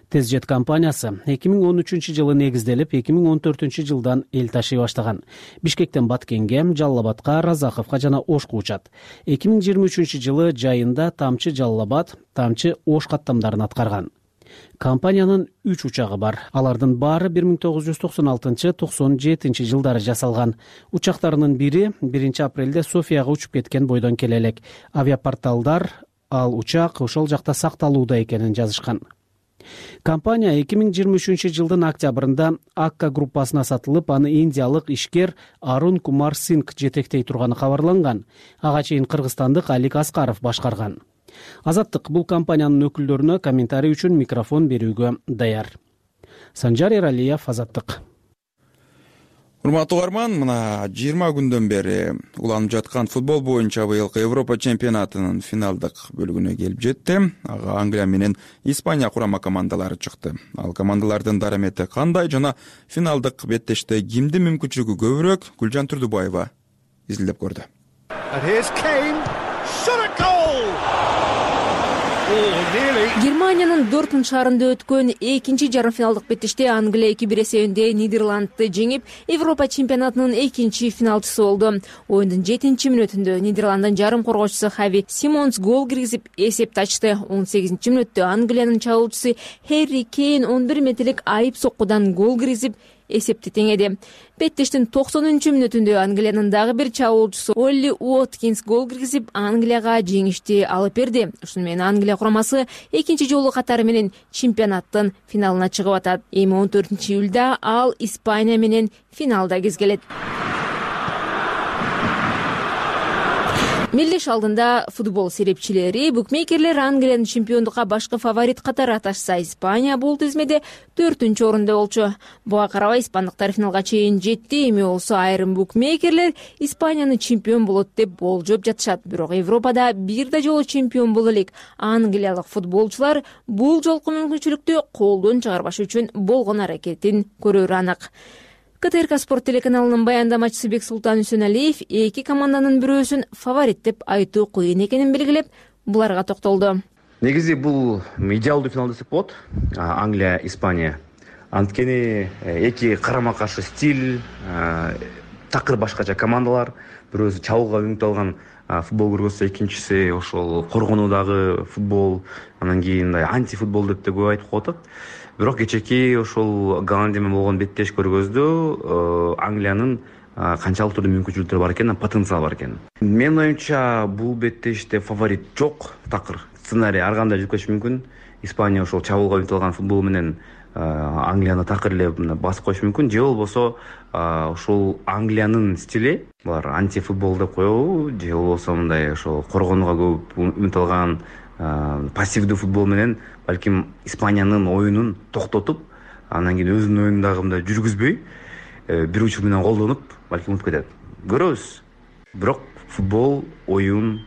Тезжет компаниясы эки миң он үчүнчү жылы негизделип, эки миң он төртүнчү жылдан эл ташый баштаган. Бишкектен Баткенге, Жалал Абадка, Разаковго жана Ошко учат. эки миң жыйырма үчүнчү жылы жайында Тамчы Жалал Абад, Тамчы Ош каттамдарын аткарган. Компаниянын үч учагы бар. Алардын баары бир миң тогуз жүз токсон алтынчы — токсон жетинчи жылдары жасалган. Учактарынын бири биринчи апрелде Софияга учуп кеткен бойдон келе элек. Авиапорталдар ал учак ошол жакта сакталууда экенин жазышкан. Компания эки миң жыйырма үчүнчү жылдын октябрында Акка группасына сатылып, аны индиялык ишкер Арун Кумар Сингх жетектей турганы кабарланган. Ага чейин кыргызстандык Алик Аскаров башкарган. Азаттык бул компаниянын өкүлдөрүнө комментарий үчүн микрофон берүүгө даяр. Санжар Эралиев, Азаттык. Урматтуу угарман, мына жыйырма күндөн бери уланып жаткан футбол боюнча быйылкы Европа чемпионатынын финалдык бөлүгүнө келип жетти. Ага Англия менен Испания курама командалары чыкты. Ал командалардын дарамети кандай жана финалдык беттеште кимдин мүмкүнчүлүгү көбүрөөк? Гүлжан Турдубаева изилдеп көрдү. Германиянын Дортмунд шаарында өткөн экинчи жарым финалдык беттеште Англия эки бир эсебинде Нидерландты жеңип, Европа чемпионатынын экинчи финалчысы болду. Оюндун жетинчи мүнөтүндө Нидерланддын жарым коргоочусу Хави Симонс гол киргизип эсепти ачты. он сегизинчи мүнөттө Англиянын чабуучусу Харри Кейн он бир метрлик айып соккудан гол киргизип эсепти теңеди. Беттештин токсонунчу мүнөтүндө Англиянын дагы бир чабуучусу Олли Уоткинс гол киргизип Англияга жеңишти алып берди. Ушуну менен Англия курамасы экинчи жолу катары менен чемпионаттын финалына чыгып атат. Эми он төртүнчү июлда ал Испания менен финалда кезгелет. Мелдеш алдында футбол серепчилери букмекерлер Англиянын чемпиондукка башкы фаворит катары аташса, Испания бул тизмеде төртүнчү орунда болчу. Буга карабай испандыктар финалга чейин жетти. Эми болсо айрым букмекерлер Испанияны чемпион болот деп болжоп жатышат. Бирок Европада бир да жолу чемпион боло элек англиялык футболчулар бул жолку мүмкүнчүлүктү колдон чыгарбаш үчүн болгон аракетин көрөрү анык. КТРК спорт телеканалынын баяндамачысы Бексултан Үсөналиев эки команданын бирөөсүн фаворит деп айтуу кыйын экенин белгилеп, буларга токтолду. Негизи бул идеалдуу финал десек болот. Англия, Испания. Анткени эки карама каршы стиль, такыр башкача командалар, бирөөсү чабууга үмүт алган футбол көргөзсө, экинчиси ошол коргонуудагы футбол, анан кийин антифутбол деп да көп айтып коет. Бирок кечеки ошол Голландия менен болгон беттеш көргөздө Англиянын канчалык түрдө мүмкүнчүлүктөрү бар экен, потенциал бар экен. Менин оюмча бул беттеште фаворит жок, такыр сценарий ар кандай жүктөшү мүмкүн. Испания ошол чабуулга үмүт алган футбол менен Англияны такыр эле басып коюшу мүмкүн. Же болбосо ошол Англиянын стили, булар антифутбол деп коебу, же болбосо мындай ошол коргонууга көп үмүт алган пассивдүү футбол менен балким Испаниянын оюнун токтотуп, анан кийин өзүнүн оюнун дагы мындай жүргүзбөй, бир учур менен колдонуп, балким утуп кетет. Көрөбүз. Бирок футбол оюн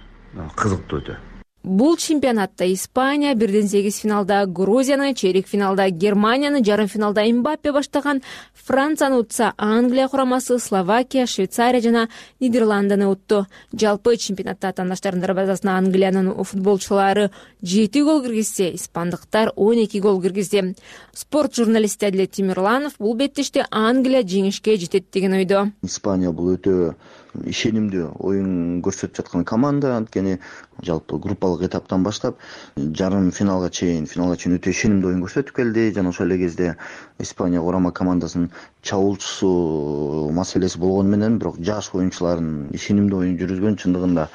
кызыктуу өтө. Бул чемпионатта Испания бирден сегиз финалда Грузияны, чейрек финалда Германияны, жарым финалда Мбаппе баштаган Францияны утса, Англия курамасы Словакия, Швейцария жана Нидерландыны утту. Жалпы чемпионатта тандаштардын дарбазасына Англиянын футболчулары жети гол киргизсе, испандыктар он эки гол киргизди. Спорт журналисти Адилет Тимирланов бул беттеште Англия жеңишке жетет деген ойдо. Испания бул өтө ишенимдүү оюн көрсөтүп жаткан команда, анткени жалпы группалык этаптан баштап жарым финалга чейин, финалга чейин өтө ишенимдүү оюн көрсөтүп келди. Жана ошол эле кезде Испания курама командасынын чабуучусу маселеси болгону менен, бирок жаш оюнчулардын ишенимдүү оюн жүргүзгөн, чындыгында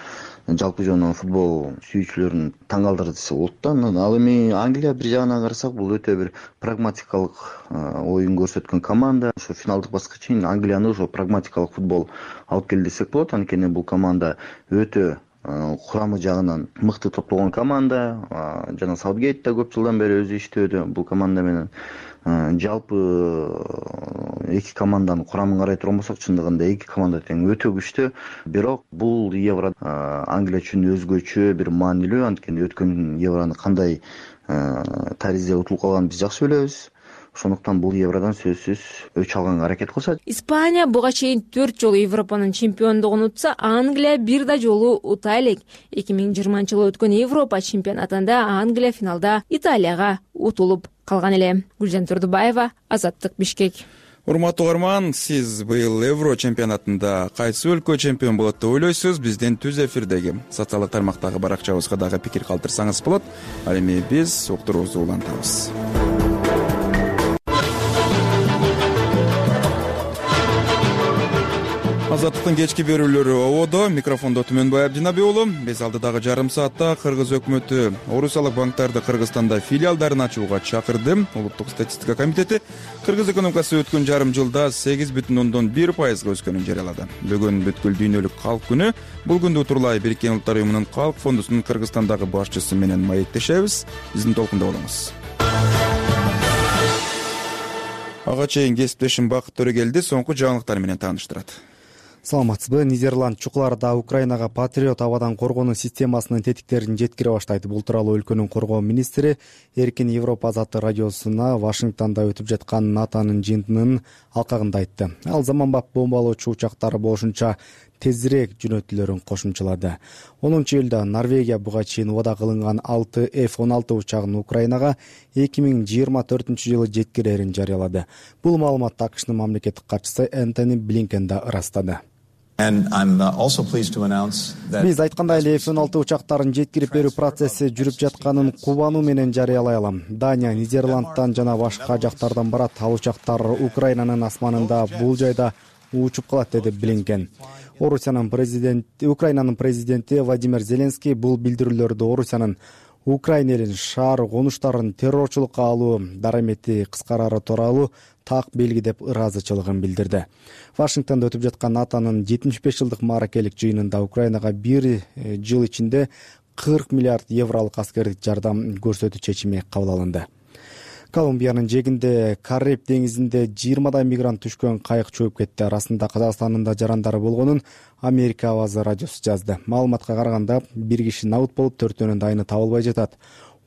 жалпы жана футбол сүйүүчүлөрүн таң калтырды десе болот да. Ал эми Англия бир жагынан карасак бул өтө бир прагматикалык оюн көрсөткөн команда. Ошо финалдык баскычка чейин Англияны ошо прагматикалык футбол алып келди десек болот. Анткени бул команда өтө курамы жагынан мыкты топтолгон команда. Жана Саутгейт да көп жылдан бери өзү иштөөдө бул команда менен. Жалпы эки команданын курамын карай турган болсок, чындыгында эки команда тең өтө күчтүү. Бирок бул Евро Англия үчүн өзгөчө бир маанилүү. Анткени өткөн Евроны кандай таризде утулуп калганын биз жакшы билебиз. Ошондуктан бул Евродан сөзсүз өч алганга аракет кылышат. Испания буга чейин төрт жолу Европанын чемпиондугун утса, Англия бир да жолу ута элек. эки миң жыйырманчы жылы өткөн Европа чемпионатында Англия финалда Италияга утулуп калган эле. Гүлжан Турдубаева, Азаттык, Бишкек. Урматтуу угарман, сиз быйыл Евро чемпионатында кайсы өлкө чемпион болот деп ойлойсуз? Биздин түз эфирдеги социалдык тармактагы баракчабызга дагы пикир калтырсаңыз болот. Ал эми биз уктуруубузду улантабыз. Азаттыктын кечки берүүлөрү ободо. Микрофондо Түмөнбай Абдинаби уулу. Биз алдыдагы жарым саатта Кыргыз өкмөтү орусиялык банктарды Кыргызстанда филиалдарын ачууга чакырды. Улуттук статистика комитети Кыргыз экономикасы өткөн жарым жылда сегиз бүтүн ондон бир пайызга өскөнүн жарыялады. Бүгүн бүткүл дүйнөлүк калк күнү. Бул күндү утурлай Бириккен Улуттар уюмунун калк фондусунун Кыргызстандагы башчысы менен маектешебиз. Биздин толкунда болуңуз. Ага чейин кесиптешим Бакыт Төрөгелди соңку жаңылыктар менен тааныштырат. Саламатсызбы? Нидерланд чукуларда Украинага Патриот абадан коргонуу системасынын тетиктерин жеткире баштайт. Бул тууралуу өлкөнүн коргоо министри Эркин Европа азаттык радиосуна Вашингтондо өтүп жаткан НАТОнун жыйынтыгынын алкагында айтты. Ал заманбап бомбалоочу учактары болушунча тезирээк жөнөтүлөрүн кошумчалады. онунчу июлда Норвегия буга чейин убада кылынган алты эф он алты учагын Украинага эки миң жыйырма төртүнчү жылы жеткирерин жарыялады. Бул маалыматты АКШнын мамлекеттик катчысы Энтони Блинкен да ырастады. Биз айткандай эле эф он алты учактарын жеткирип берүү процесси жүрүп жатканын кубануу менен жарыялай алам. Дания Нидерландтан жана башка жактардан барат. Ал учактар Украинанын асманында бул жайда учуп калат, деди Блинкен. Орусиянын президенти Украинанын президенти Владимир Зеленский бул билдирүүлөрдү Орусиянын Украина элин шаар конуштарын террорчулукка алуу дарамети кыскарары тууралуу так белги деп ыраазычылыгын билдирди. Вашингтондо өтүп жаткан НАТОнун жетимиш беш жылдык мааракелик жыйынында Украинага бир жыл ичинде кырк миллиард евролук аскердик жардам көрсөтүү чечими кабыл алынды. Колумбиянын жээгинде Кариб деңизинде жыйырмадай мигрант түшкөн кайык чөгүп кетти. Арасында Казакстандын да жарандары болгонун Америка авазы радиосу жазды. Маалыматка караганда бир киши набыт болуп, төртөөнүн дайыны табылбай жатат.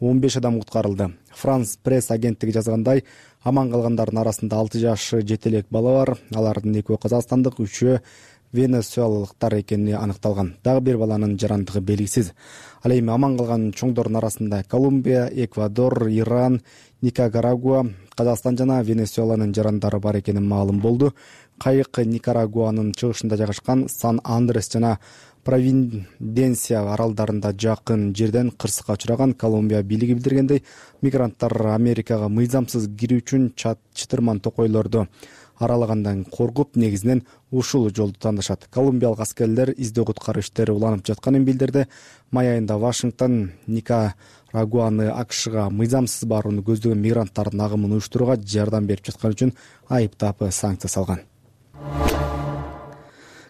он беш адам куткарылды. Франс пресс агенттиги жазгандай, аман калгандардын арасында алты жаш жетелек бала бар. Алардын экөө казакстандык, үчөө венесуэлалыктар экени аныкталган. Дагы бир баланын жарандыгы белгисиз. Ал эми аман калган чоңдордун арасында Колумбия, Эквадор, Иран, Никарагуа, Казакстан жана Венесуэланын жарандары бар экени маалым болду. Кайык Никарагуанын чыгышында жайгашкан Сан-Андрес жана Провиденция аралдарында жакын жерден кырсыкка учураган. Колумбия бийлиги билдиргендей, мигранттар Америкага мыйзамсыз кирүү үчүн чытырман токойлорду аралагандан коркуп, негизинен ушул жолду тандашат. Колумбиялык аскерлер издөө куткаруу иштери уланып жатканын билдирди. Май айында Вашингтон Никарагуаны АКШга мыйзамсыз барууну көздөгөн мигранттардын агымын уюштурууга жардам берип жаткан үчүн айыптап санкция салган.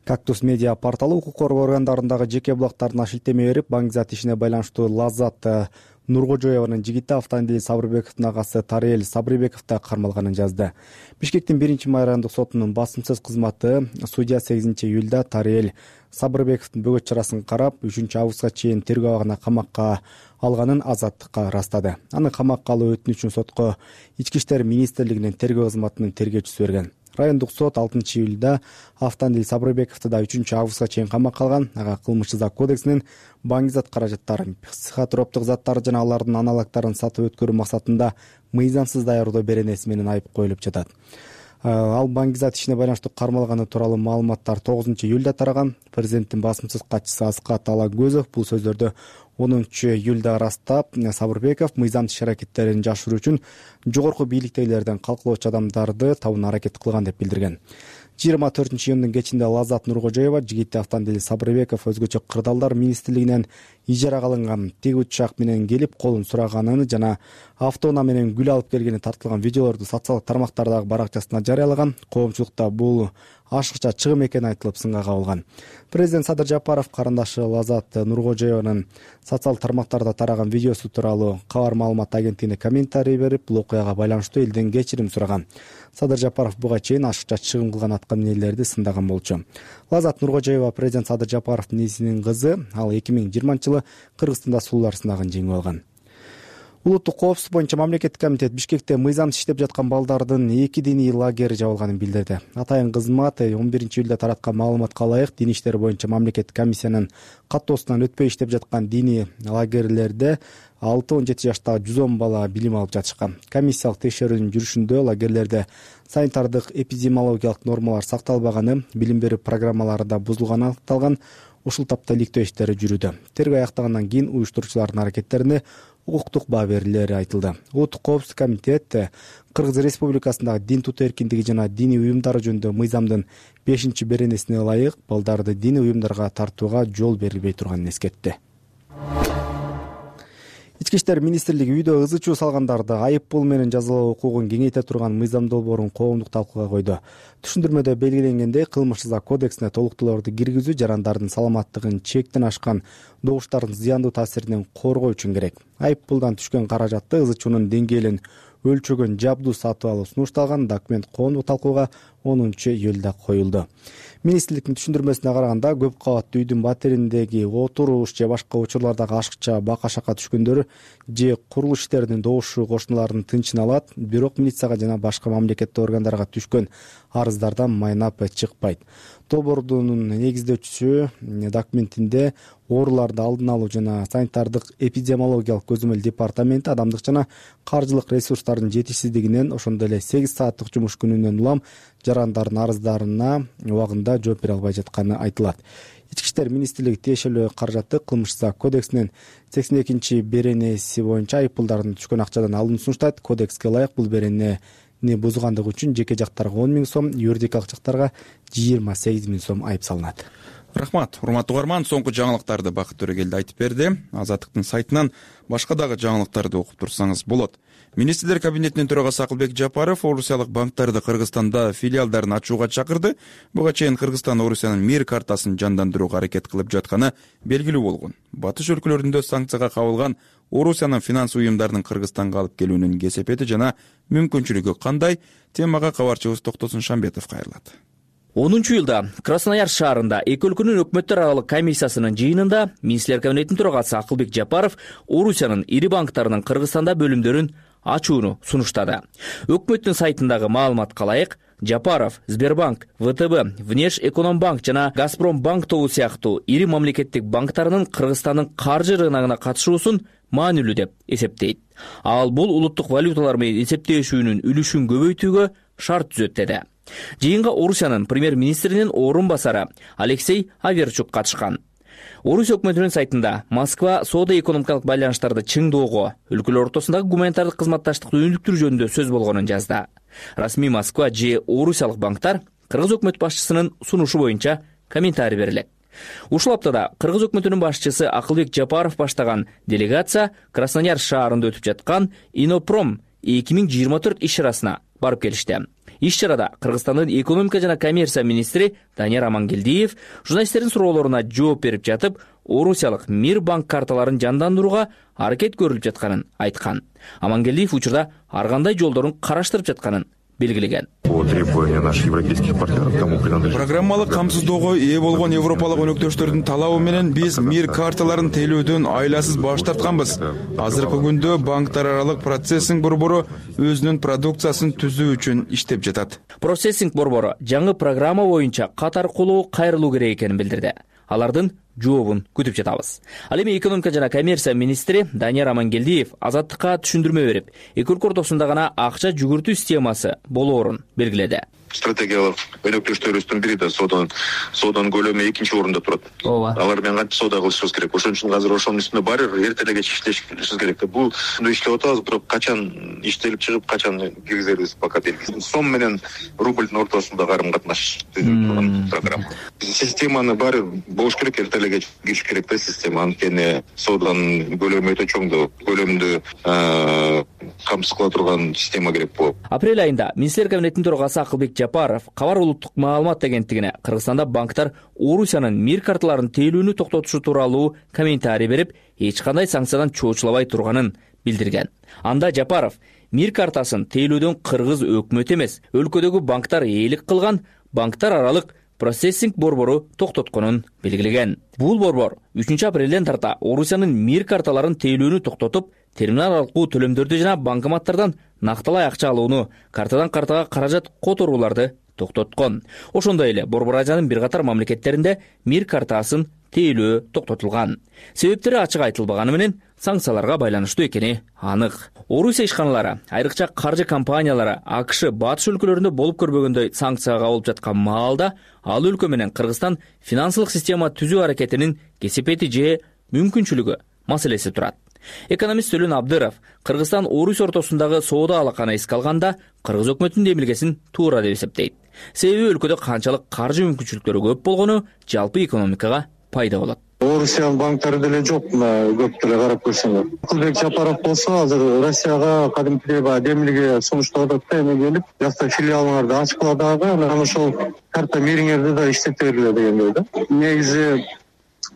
Кактус медиа порталы укук коргоо органдарындагы жеке булактарына шилтеме берип, Баңгизат ишине байланыштуу Лаззат Нуркожоеванын жигити Автандил Сабырбековдун агасы Тариэл Сабырбеков да кармалганын жазды. Бишкектин биринчи майрандык сотунун басымсыз кызматы судья сегизинчи июлда Тариэл Сабырбековдун бөгөт чарасын карап, үчүнчү августка чейин тергөө абагына камакка алганын азаттыкка ырастады. Аны камакка алуу өтүнүчүн сотко Ички иштер министрлигинин тергөө кызматынын тергөөчүсү берген. Райондук сот алтынчы июлда Автандил Сабырбековду да үчүнчү августка чейин камакка алган. Ага кылмыш жаза кодексинин Баңгизат каражаттарын, психотроптук заттар жана алардын аналогдорун сатып өткөрүү максатында мыйзамсыз даярдоо беренеси менен айып коюлуп жатат. Ал Баңгизат ишине байланыштуу кармалганы тууралуу маалыматтар тогузунчу июлда тараган. Президенттин басымсыз катчысы Аскат Алагөзов бул сөздөрдү онунчу июлда ырастап, Сабырбеков мыйзамсыз иш аракеттерин жашыруу үчүн жогорку бийликтегилерден калкалоочу адамдарды табууна аракет кылган деп билдирген. жыйырма төртүнчү июндун кечинде Лазат Нуркожоева, Жигитти Автандили Сабырбеков өзгөчө кырдаалдар министрлигинен ижарага алынган тик учак менен келип колун сураганын жана автоунаа менен гүл алып келгени тартылган видеолорду социалдык тармактардагы баракчасына жарыялаган. Коомчулукта бул ашыкча чыгым экени айтылып сынга кабылган. Президент Садыр Жапаров карындашы Лазат Нуркожоеванын социалдык тармактарда тараган видеосу тууралуу Кабар маалымат агенттигине комментарий берип, бул окуяга байланыштуу элден кечирим сураган. Садыр Жапаров буга чейин ашыкча чыгым кылган аткаминерлерди сындаган болчу. Лазат Нуркожоева президент Садыр Жапаровдун несинин кызы. Ал эки миң жыйырманчы жылы Кыргызстанда сулуулар сынагын жеңип алган. Улуттук коопсуздук боюнча мамлекеттик комитет Бишкекте мыйзамсыз иштеп жаткан балдардын эки диний лагери жабылганын билдирди. Атайын кызмат он биринчи июлда тараткан маалыматка ылайык дин иштери боюнча мамлекеттик комиссиянын каттоосунан өтпөй иштеп жаткан диний лагерлерде алты он жети жаштагы жүз он бала билим алып жатышкан. Комиссиялык текшерүүнүн жүрүшүндө лагерлерде санитардык эпидемиологиялык нормалар сакталбаганы, билим берүү программаларында бузулганы аныкталган. Ушул тапта иликтөө иштери жүрүүдө. Тергөө аяктагандан кийин уюштуруучулардын аракеттерине укуктук баа берилери айтылды. Улуттук коопсуздук комитет Кыргыз Республикасындагы дин тутуу эркиндиги жана диний уюмдар жөнүндө мыйзамдын бешинчи беренесине ылайык балдарды диний уюмдарга тартууга жол берилбей турганын эскертти. Ички иштер министрлиги үйдө ыз ичүү салгандарды айып пул менен жазалоо укугун кеңейте турган мыйзам долбоорун коомдук талкууга койду. Түшүндүрмөдө белгиленгендей, кылмыш жаза кодексине толуктоолорду киргизүү жарандардын саламаттыгын чектен ашкан добуштардын зыяндуу таасиринен коргоо үчүн керек. Айып пулдан түшкөн каражатты ыз ичүүнүн деңгээлин өлчөгөн жабдуу сатып алуу сунушталган. Документ коомдук талкууга онунчу июлда коюлду. Министрликтин түшүндүрмөсүнө караганда, көп кабаттуу үйдүн батириндеги отуруш же башка учурлардагы ашыкча бака-шака түшкөндөр же курулуш иштеринин добушу кошуналардын тынчын алат, бирок милицияга жана башка мамлекеттик органдарга түшкөн арыздардан майнап чыкпайт. Долбоордун негиздөөчүсү документинде ооруларды алдын алуу жана санитардык эпидемиологиялык көзөмөл департаменти адамдык жана каржылык ресурстардын жетишсиздигинен, ошондой эле сегиз сааттык жумуш күнүнөн улам жарандардын арыздарына убагында жооп бере албай жатканы айтылат. Ички иштер министрлиги тиешелүү каражатты кылмыш жаза кодексинин сексен экинчи беренеси боюнча айып пулдардын түшкөн акчадан алууну сунуштайт. Кодекске ылайык бул беренени бузгандыгы үчүн жеке жактарга он миң сом, юридикалык жактарга жыйырма сегиз миң сом айып салынат. Рахмат. Урматтуу угарман, соңку жаңылыктарды Бакыт Төрөгелди айтып берди. Азаттыктын сайтынан башка дагы жаңылыктарды окуп турсаңыз болот. Министрлер кабинетинин төрагасы Акылбек Жапаров орусиялык банктарды Кыргызстанда филиалдарын ачууга чакырды. Буга чейин Кыргызстан Орусиянын мир картасын жандандырууга аракет кылып жатканы белгилүү болгон. Батыш өлкөлөрүндө санкцияга кабылган Орусиянын финанс уюмдарынын Кыргызстанга алып келүүнүн кесепети жана мүмкүнчүлүгү кандай? Темага кабарчыбыз Токтосун Шамбетов кайрылат. онунчу июлда Краснояр шаарында эки өлкөнүн өкмөттөр аралык комиссиясынын жыйынында министрлер кабинетинин төрагасы Акылбек Жапаров Орусиянын ири банктарынын Кыргызстанда бөлүмдөрүн ачууну сунуштады. Өкмөттүн сайтындагы маалыматка ылайык, Жапаров Сбербанк, ВТБ, Внешэкономбанк жана Газпромбанк тобу сыяктуу ири мамлекеттик банктарынын Кыргызстандын каржы рыногуна катышуусун маанилүү деп эсептейт. Ал бул улуттук валюталар менен эсептешүүнүн үлүшүн көбөйтүүгө шарт түзөт деди. Жыйынга Орусиянын премьер-министринин орун басары Алексей Аверчук катышкан. Орусия өкмөтүнүн сайтында Москва соода-экономикалык байланыштарды чыңдоого, өлкөлөр ортосундагы гуманитардык кызматташтыкты өнүктүрүү жөнүндө сөз болгонун жазды. Расмий Москва же орусиялык банктар Кыргыз өкмөт башчысынын сунушу боюнча комментарий берилет. Ушул аптада Кыргыз өкмөтүнүн башчысы Акылбек Жапаров баштаган делегация Краснояр шаарында өтүп жаткан Инопром эки миң жыйырма төрт иш-чарасына барып келишти. Иш-чарада Кыргызстандын экономика жана коммерция министри Данияр Амангелдиев журналисттердин суроолоруна жооп берип жатып, орусиялык мир банк карталарын жандандырууга аракет көрүлүп жатканын айткан. Амангелдиев учурда ар кандай жолдорун караштырып жатканын белгилеген. Программалык камсыздоого ээ болгон европалык өнөктөштөрдүн талабы менен биз мир карталарын тейлөөдөн айласыз баш тартканбыз. Азыркы күндө банктар аралык процессинг борбору өзүнүн продукциясын түзүү үчүн иштеп жатат. Процессинг борбору жаңы программа боюнча кат аркылуу кайрылуу керек экенин билдирди. Алардын жообун күтүп жатабыз. Ал эми экономика жана коммерция министри Данияр Амангелдиев Азаттыкка түшүндүрмө берип, эки өлкө ортосунда гана акча жүгүртүү системасы болоорун белгиледи. Стратегиялык өнөктөштөрүбүздүн бири да сооданын сооданын көлөмү экинчи орунда турат. Ооба. Алар менен кантип соода кылышыбыз керек. Ошон үчүн азыр ошонун үстүнө баары бир эрте эле кеч иштешибиз керек. Бул иштеп атабыз, бирок качан иштелип чыгып, качан киргизерибиз пока белгисиз. Сом менен рублдун ортосунда карым катнаш түзүлүп турган программа. Системаны баары болуш керек, эрте эле кеч кириш керек да система. Анткени сооданын көлөмү өтө чоң да, көлөмдү камсыз кыла турган система керек болот. Апрель айында Министрлер кабинетинин төрагасы Акылбек Жапаров Кабар улуттук маалымат агенттигине Кыргызстанда банктар Орусиянын мир карталарын тейлүүнү токтотушу тууралуу комментарий берип, эч кандай санкциядан чоочулабай турганын билдирген. Анда Жапаров мир картасын тейлөөдөн кыргыз өкмөтү эмес, өлкөдөгү банктар ээлик кылган банктар аралык процессинг борбору токтотконун белгилеген. Бул борбор үчүнчү апрелден тарта Орусиянын мир карталарын тейлүүнү токтотуп, терминал аркылуу төлөмдөрдү жана банкоматтардан накталай акча алууну, картадан картага каражат которууларды токтоткон. Ошондой эле Борбор Азиянын бир катар мамлекеттеринде мир картасын тейлөө токтотулган. Себептери ачык айтылбаганы менен санкцияларга байланыштуу экени анык. Орусия ишканалары, айрыкча каржы компаниялары АКШ батыш өлкөлөрүндө болуп көрбөгөндөй санкцияга кабылып жаткан маалда ал өлкө менен Кыргызстан финансылык система түзүү аракетинин кесепети же мүмкүнчүлүгү маселеси турат. Экономист Төлөн Абдыров Кыргызстан Орусия ортосундагы соода алаканы эске алганда Кыргыз өкмөтүнүн демилгесин туура деп эсептейт. Себеби өлкөдө канчалык каржы мүмкүнчүлүктөрү көп болгону жалпы экономикага пайда болот. Орусиянын банктары деле жок, көп деле карап көрсөңөр. Акылбек Жапаров болсо азыр Россияга кадимкидей баягы демилге сунуштап атат да, эме келип, жакта филиалыңарды ачкыла дагы, анан ошол карта мириңерди да иштете бергиле дегендей да. Негизи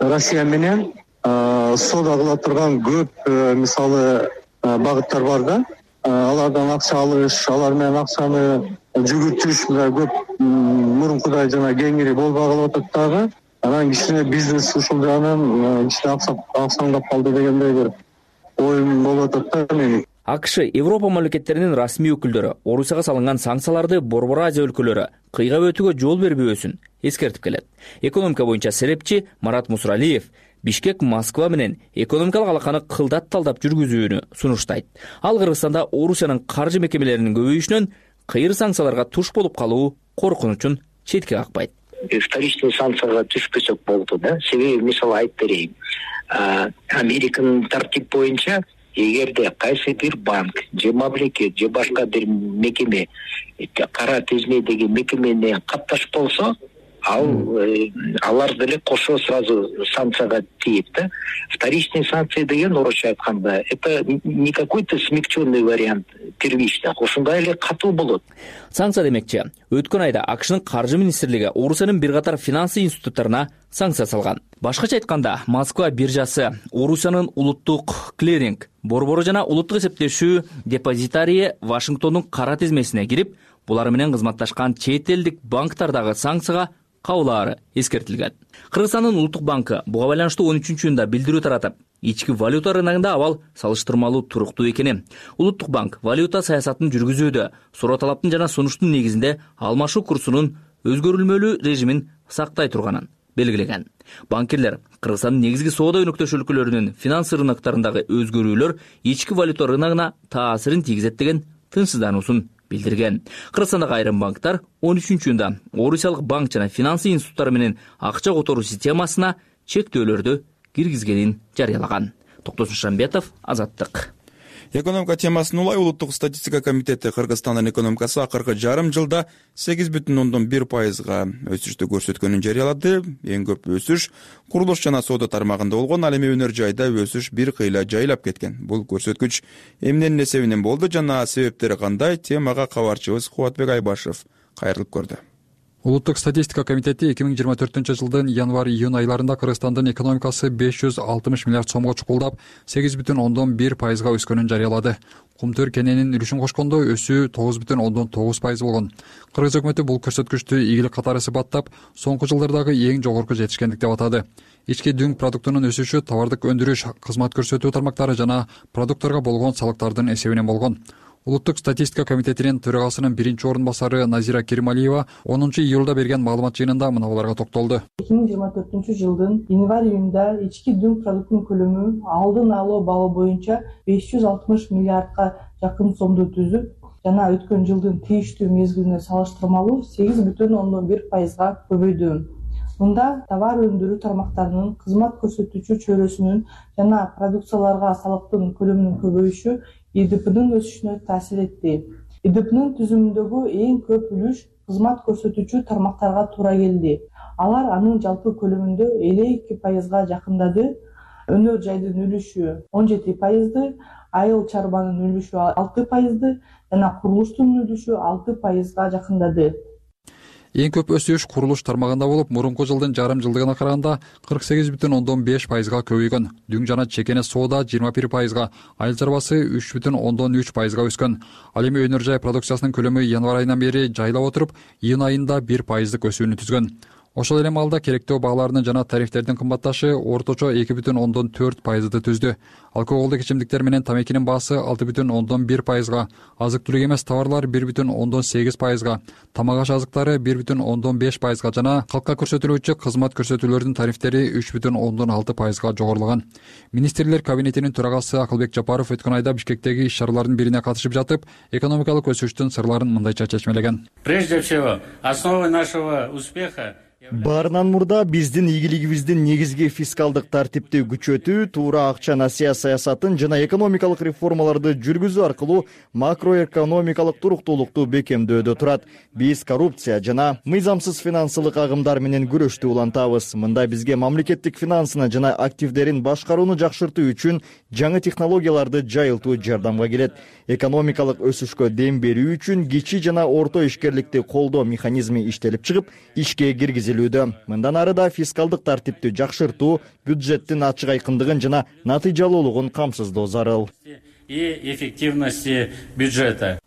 Россия менен соода кыла турган көп мисалы багыттар бар да. Алардан акча алыш, алар менен акчаны жүгүртүш көп мурункудай жана кеңири болбой калып атат дагы. Анан кичине бизнес ушул жагынан кичине аксаңдап калды дегендей бир оюм болуп атат да менин. АКШ Европа мамлекеттеринин расмий өкүлдөрү Орусияга салынган санкцияларды Борбор Азия өлкөлөрү кыйгап өтүүгө жол бербөөсүн эскертип келет. Экономика боюнча серепчи Марат Мусралиев Бишкек Москва менен экономикалык алаканы кылдат талдап жүргүзүүнү сунуштайт. Ал Кыргызстанда Орусиянын каржы мекемелеринин көбөйүшүнөн кыйыр санкцияларга туш болуп калуу коркунучун четке какпайт. Вторичный санкцияга түшпөсөк болду да. Себеби мисалы айтып берейин. Американын тартип боюнча эгерде кайсы бир банк же мамлекет же башка бир мекеме кара тизмедеги мекемене катташ болсо, ал алар деле кошо сразу санкцияга тийет да. Вторичный санкция деген орусча айтканда это не какой-то смягченный вариант первичных, ошондой эле катуу болот. Санкция демекчи, өткөн айда АКШнын каржы министрлиги Орусиянын бир катар финансы институттарына санкция салган. Башкача айтканда, Москва биржасы, Орусиянын улуттук клиринг борбору жана улуттук эсептешүү депозитарийи Вашингтондун кара тизмесине кирип, булар менен кызматташкан чет элдик банктардагы санкцияга кабылаары эскертилген. Кыргызстандын улуттук банкы буга байланыштуу он үчүнчү июнда билдирүү таратып, ички валюта рыногунда абал салыштырмалуу туруктуу экени, улуттук банк валюта саясатын жүргүзүүдө суроо талаптын жана сунуштун негизинде алмашуу курсунун өзгөрүлмөлүү режимин сактай турганын белгилеген. Банкирлер Кыргызстандын негизги соода өнөктөш өлкөлөрүнүн финансы рыноктарындагы өзгөрүүлөр ички валюта рыногуна таасирин тийгизет деген тынчсыздануусун билдирген. Кыргызстандагы айрым банктар он үчүнчү июнда Орусиялык банк жана финансы институттары менен акча которуу системасына чектөөлөрдү киргизгенин жарыялаган. Токтосун Шамбетов, Азаттык. Экономика темасын улай улуттук статистика комитети Кыргызстандын экономикасы акыркы жарым жылда сегиз бүтүн ондон бир пайызга өсүштү көрсөткөнүн жарыялады. Эң көп өсүш курулуш жана соода тармагында болгон, ал эми өнөр жайда өсүш бир кыйла жайлап кеткен. Бул көрсөткүч эмненин эсебинен болду жана себептери кандай? Темага кабарчыбыз Кубатбек Айбашев кайрылып көрдү. Улуттук статистика комитети эки миң жыйырма төртүнчү жылдын январь-июнь айларында Кыргызстандын экономикасы беш жүз алтымыш миллиард сомго чукулдап, сегиз бүтүн ондон бир пайызга өскөнүн жарыялады. Кумтөр кененин үлүшүн кошкондо өсүү тогуз бүтүн ондон тогуз пайыз болгон. Кыргыз өкмөтү бул көрсөткүчтү ийгилик катары сыпаттап, соңку жылдардагы эң жогорку жетишкендик деп атады. Ички дүң продуктунун өсүшү товардык өндүрүш, кызмат көрсөтүү тармактары жана продукттарга болгон салыктардын эсебинен болгон. Улуттук статистика комитетинин төрагасынын биринчи орун басары Назира Керималиева онунчу июлда берген маалымат жыйынында мыналарга токтолду. эки миң жыйырма төртүнчү жылдын январь июнда ички дүң продуктунун көлөмү алдын алуу балы боюнча беш жүз алтымыш миллиардка жакын сомду түзүп, жана өткөн жылдын тийиштүү мезгилине салыштырмалуу сегиз бүтүн ондон бир пайызга көбөйдү. Мында товар өндүрүү тармактарынын, кызмат көрсөтүүчү чөйрөсүнүн жана продукцияларга салыктын көлөмүнүн көбөйүшү И Д П'нын өсүшүнө таасир этти. И Д П'нын түзүмүндөгү эң көп үлүш кызмат көрсөтүүчү тармактарга туура келди. Алар анын жалпы көлөмүндө элүү эки пайызга жакындады. Өнөр жайдын үлүшү он жети пайызды, айыл чарбанын үлүшү алты пайызды жана курулуштун үлүшү алты пайызга жакындады. Эң көп өсүш курулуш тармагында болуп, мурунку жылдын жарым жылдыгына караганда кырк сегиз бүтүн ондон беш пайызга көбөйгөн. Дүң жана чекене соода жыйырма бир пайызга, айыл чарбасы үч бүтүн ондон үч пайызга өскөн. Ал эми өнөр жай продукциясынын көлөмү январь айынан бери жайлап отуруп, июнь айында бир пайыздык өсүүнү түзгөн. Ошол эле маалда керектөө бааларынын жана тарифтердин кымбатташы орточо эки бүтүн ондон төрт пайызды түздү. Алкоголдук ичимдиктер менен тамекинин баасы алты бүтүн ондон бир пайызга, азык-түлүк эмес товарлар бир бүтүн ондон сегиз пайызга, тамак аш азыктары бир бүтүн ондон беш пайызга жана калкка көрсөтүлүүчү кызмат көрсөтүүлөрдүн тарифтери үч бүтүн ондон алты пайызга жогорулаган. Министрлер кабинетинин төрагасы Акылбек Жапаров өткөн айда Бишкектеги иш-чаралардын бирине катышып жатып, экономикалык өсүштүн сырларын мындайча чечмелеген. Прежде всего, основой нашего успеха Баарынан мурда биздин ийгилигибиздин негизги фискалдык тартипти күчөтүү, туура акча насыя саясатын жана экономикалык реформаларды жүргүзүү аркылуу макроэкономикалык туруктуулукту бекемдөөдө турат. Биз коррупция жана мыйзамсыз финансылык агымдар менен күрөштү улантабыз. Мында бизге мамлекеттик финансыны жана активдерин башкарууну жакшыртуу үчүн жаңы технологияларды жайылтуу жардамга келет. Экономикалык өсүшкө дем берүү үчүн кичи жана орто ишкерликти колдоо механизми иштелип чыгып, ишке киргизилүүдө. Мындан ары да фискалдык тартипти жакшыртуу, бюджеттин ачык айкындыгын жана натыйжалуулугун камсыздоо зарыл. И эффективности бюджета.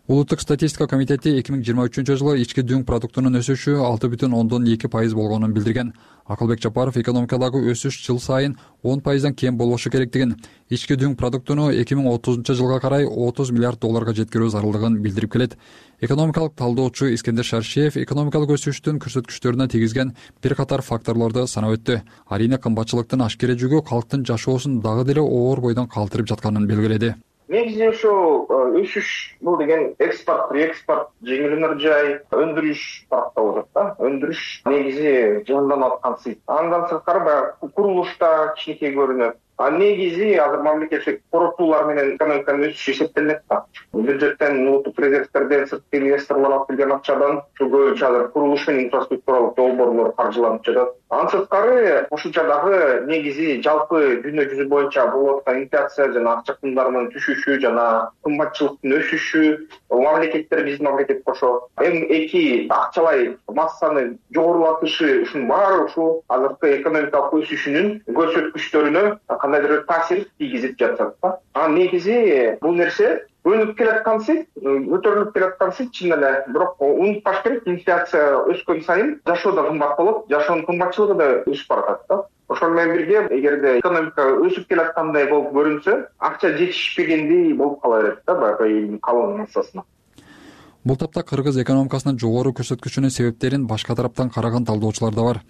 Улуттук статистика комитети эки миң жыйырма үчүнчү жылы ички дүң продуктунун өсүшү алты бүтүн ондон эки пайыз болгонун билдирген. Акылбек Жапаров экономикадагы өсүш жыл сайын он пайыздан кем болбошу керектигин, ички дүң продуктуну эки миң отузунчу жылга карай отуз миллиард долларга жеткирүү зарылдыгын билдирип келет. Экономикалык талдоочу Искендер Шаршиев экономикалык өсүштүн көрсөткүчтөрүнө тийгизген бир катар факторлорду санап өттү. Арийне кымбатчылыктын ашкере жүгү калктын жашоосун дагы деле оор бойдон калтырып жатканын белгиледи. Негизи ошо өсүш бул деген экспорт, реэкспорт, жеңил өнөр жай, өндүрүш тарапта болот да. Өндүрүш негизи жанданып аткан. Андан сырткары баягы курулушта кичинекей көрүнөт. А негизи азыр мамлекеттик коротуулар менен экономиканын өсүшү эсептелинет да. Бюджеттен, улуттук резервтерден, сырткы инвесторлор алып келген акчадан ушул көбүнчө азыр курулуш менен инфраструктуралык долбоорлор каржыланып жатат. Андан сырткары кошумча дагы негизи жалпы дүйнө жүзү боюнча болуп аткан инфляция жана акча кымдарынын түшүшү жана кымбатчылыктын өсүшү, мамлекеттер биздин мамлекет кошо эм эки акчалай массаны жогорулатышы, ушунун баары ушул азыркы экономикалык өсүшүнүн көрсөткүчтөрүнө кандайдыр тийгизип тийгизип жатат да. А негизи бул нерсе өнүп келаткансы, көтөрүлүп келаткансы чын эле, бирок унутпаш керек, инфляция өскөн сайын жашоо да кымбат болот, жашоонун кымбатчылыгы да өсүп баратат да. Ошол менен бирге эгерде экономика өсүп келаткандай болуп көрүнсө, акча жетишпегендей болуп кала берет да баягы элдин калың массасына. Бул тапта кыргыз экономикасынын жогору көрсөткүчүнүн себептерин башка тараптан караган талдоочулар да бар.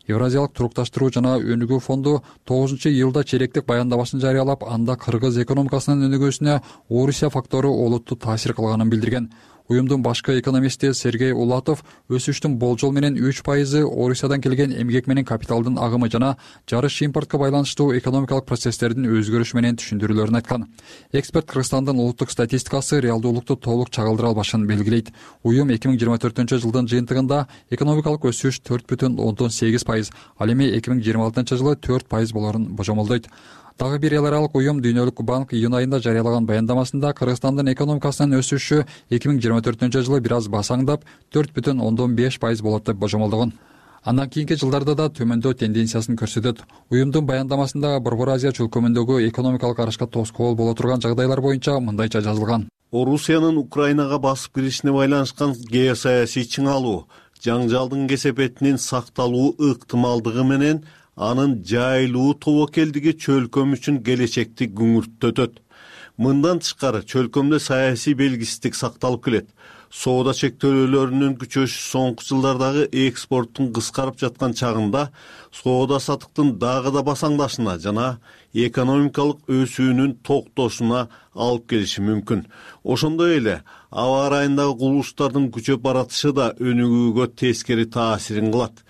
Евразиялык турукташтыруу жана өнүгүү фонду тогузунчу июлда черектик баяндамасын жарыялап, анда кыргыз экономикасынын өнүгүүсүнө Орусия фактору олуттуу таасир кылганын билдирген. Уюмдун башкы экономисти Сергей Улатов өсүштүн болжол менен үч пайызы Орусиядан келген эмгек менен капиталдын агымы жана жарыш импортко байланыштуу экономикалык процесстердин өзгөрүшү менен түшүндүрүүлөрүн айткан. Эксперт Кыргызстандын улуттук статистикасы реалдуулукту толук чагылдыра албашын белгилейт. Уюм эки миң жыйырма төртүнчү жылдын жыйынтыгында экономикалык өсүш төрт бүтүн ондон сегиз пайыз, ал эми эки миң жыйырма алтынчы жылы төрт пайыз болорун божомолдойт. Дагы бир эл аралык уюм Дүйнөлүк банк июнь айында жарыялаган баяндамасында Кыргызстандын экономикасынын өсүшү эки миң жыйырма төртүнчү жылы бир аз басаңдап төрт бүтүн ондон беш пайыз болот деп божомолдогон. Андан кийинки жылдарда да төмөндөө тенденциясын көрсөтөт. Уюмдун баяндамасында Борбор Азия чөлкөмүндөгү экономикалык арышка тоскоол боло турган жагдайлар боюнча мындайча жазылган. Орусиянын Украинага басып киришине байланышкан геосаясий чыңалуу, жаңжалдын кесепетинин сакталуу ыктымалдыгы менен анын жайылуу тобокелдиги чөлкөм үчүн келечекти күңүртөтөт. Мындан тышкары чөлкөмдө саясий белгисиздик сакталып келет. Соода чектөөлөрүнүн күчөшү соңку жылдардагы экспорттун кыскарып жаткан чагында соода сатыктын дагы да басаңдашына жана экономикалык өсүүнүн токтошуна алып келиши мүмкүн. Ошондой эле аба ырайындагы кубулуштардын күчөп баратышы да өнүгүүгө тескери таасирин кылат.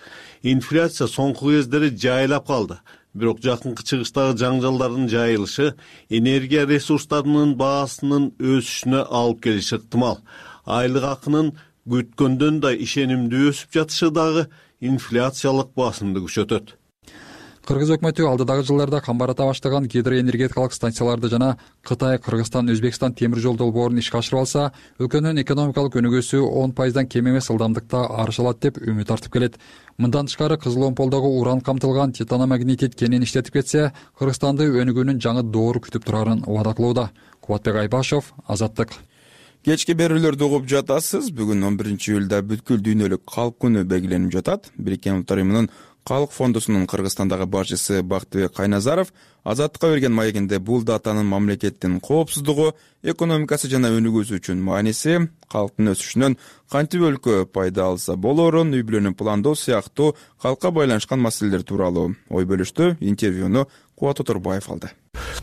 Инфляция соңку кездери жайлап калды. Бирок жакынкы чыгыштагы жаңжалдардын жайылышы энергия ресурстарынын баасынын өсүшүнө алып келиши ыктымал. Айлык акынын күткөндөн да ишенимдүү өсүп жатышы дагы инфляциялык басымды күчөтөт. Кыргыз өкмөтү алдыдагы жылдарда камбарата баштаган гидроэнергетикалык станцияларды жана Кытай, Кыргызстан, Өзбекстан темир жол долбоорун ишке ашырып алса, өлкөнүн экономикалык өнүгүүсү он пайыздан кем эмес ылдамдыкта арыша алат деп үмүт артып келет. Мындан тышкары Кызыл Омполдогу уран камтылган титаномагнетит кенин иштетип кетсе, Кыргызстанды өнүгүүнүн жаңы доору күтүп турарын убада кылууда. Кубатбек Айбашев, Азаттык. Кечки берүүлөрдү угуп жатасыз. Бүгүн он биринчи июлда бүткүл дүйнөлүк калк күнү белгиленип жатат. Бириккен Улуттар уюмунун Калк фондусунун Кыргызстандагы башчысы Бактыбек Кайназаров Азаттыкка берген маегинде бул датанын мамлекеттин коопсуздугу, экономикасы жана өнүгүүсү үчүн мааниси, калктын өсүшүнөн кантип өлкө пайда алса болоорун, үй бүлөнү пландоо сыяктуу калкка байланышкан маселелер тууралуу ой бөлүштү. Интервьюну Кубат Оторбаев алды.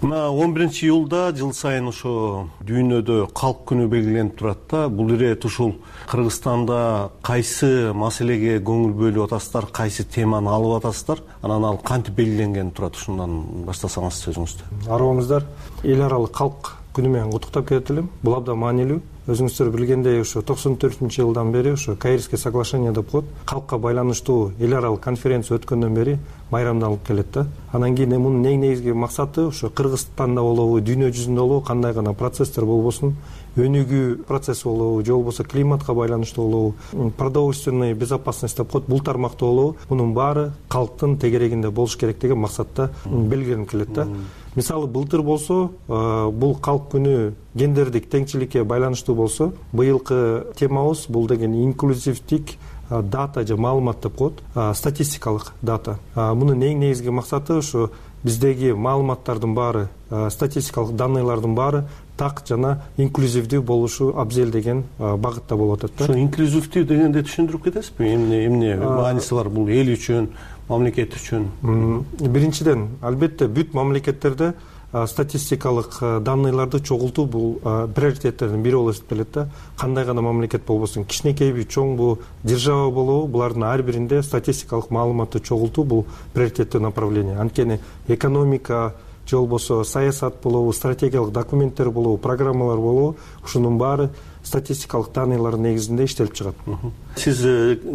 Мына он биринчи июлда жыл сайын ошо дүйнөдө калк күнү белгиленип турат да. Бул ирет ушул Кыргызстанда кайсы маселеге көңүл бөлүп атасыздар, кайсы теманы алып атасыздар, анан ал кантип белгиленген турат, ушундан баштасаңыз сөзүңүздү. Арыбыңыздар, эл аралык калк күнү менен куттуктап кетет элем. Бул абдан маанилүү. Өзүңүздөр билгендей, ошо токсон төртүнчү жылдан бери ошо Каирский соглашение деп коет. Калкка байланыштуу эл аралык конференция өткөндөн бери майрамдалып келет да. Анан кийин мунун эң негизги максаты ошо Кыргызстанда болобу, дүйнө жүзүндө болобу, кандай гана процесстер болбосун, өнүгүү процесси болобу, же болбосо климатка байланыштуу болобу, продовольственный безопасность деп коет, бул тармакта болобу, мунун баары калктын тегерегинде болуш керек деген максатта белгиленип келет да. Мисалы былтыр болсо, бул калк күнү гендердик теңчиликке байланыштуу болсо, быйылкы темабыз бул деген инклюзивдик дата же маалымат деп коет, статистикалык дата. Мунун эң негизги максаты ошо биздеги маалыматтардын баары, статистикалык данныйлардын баары так жана инклюзивдүү болушу абзел деген багытта болуп атат да. Ошо инклюзивдүү дегенде түшүндүрүп кетесизби? Эмне эмне мааниси бар бул эл үчүн, мамлекет үчүн? Биринчиден, албетте бүт мамлекеттерде статистикалык данныйларды чогултуу бул приоритеттердин бири болуп эсептелет да. Кандай гана мамлекет болбосун, кичинекейби, чоңбу, держава болобу, булардын ар биринде статистикалык маалыматты чогултуу бул приоритеттүү направление. Анткени экономика же болбосо саясат болобу, стратегиялык документтер болобу, программалар болобу, ушунун баары статистикалык данныйлардын негизинде иштелип чыгат. Сиз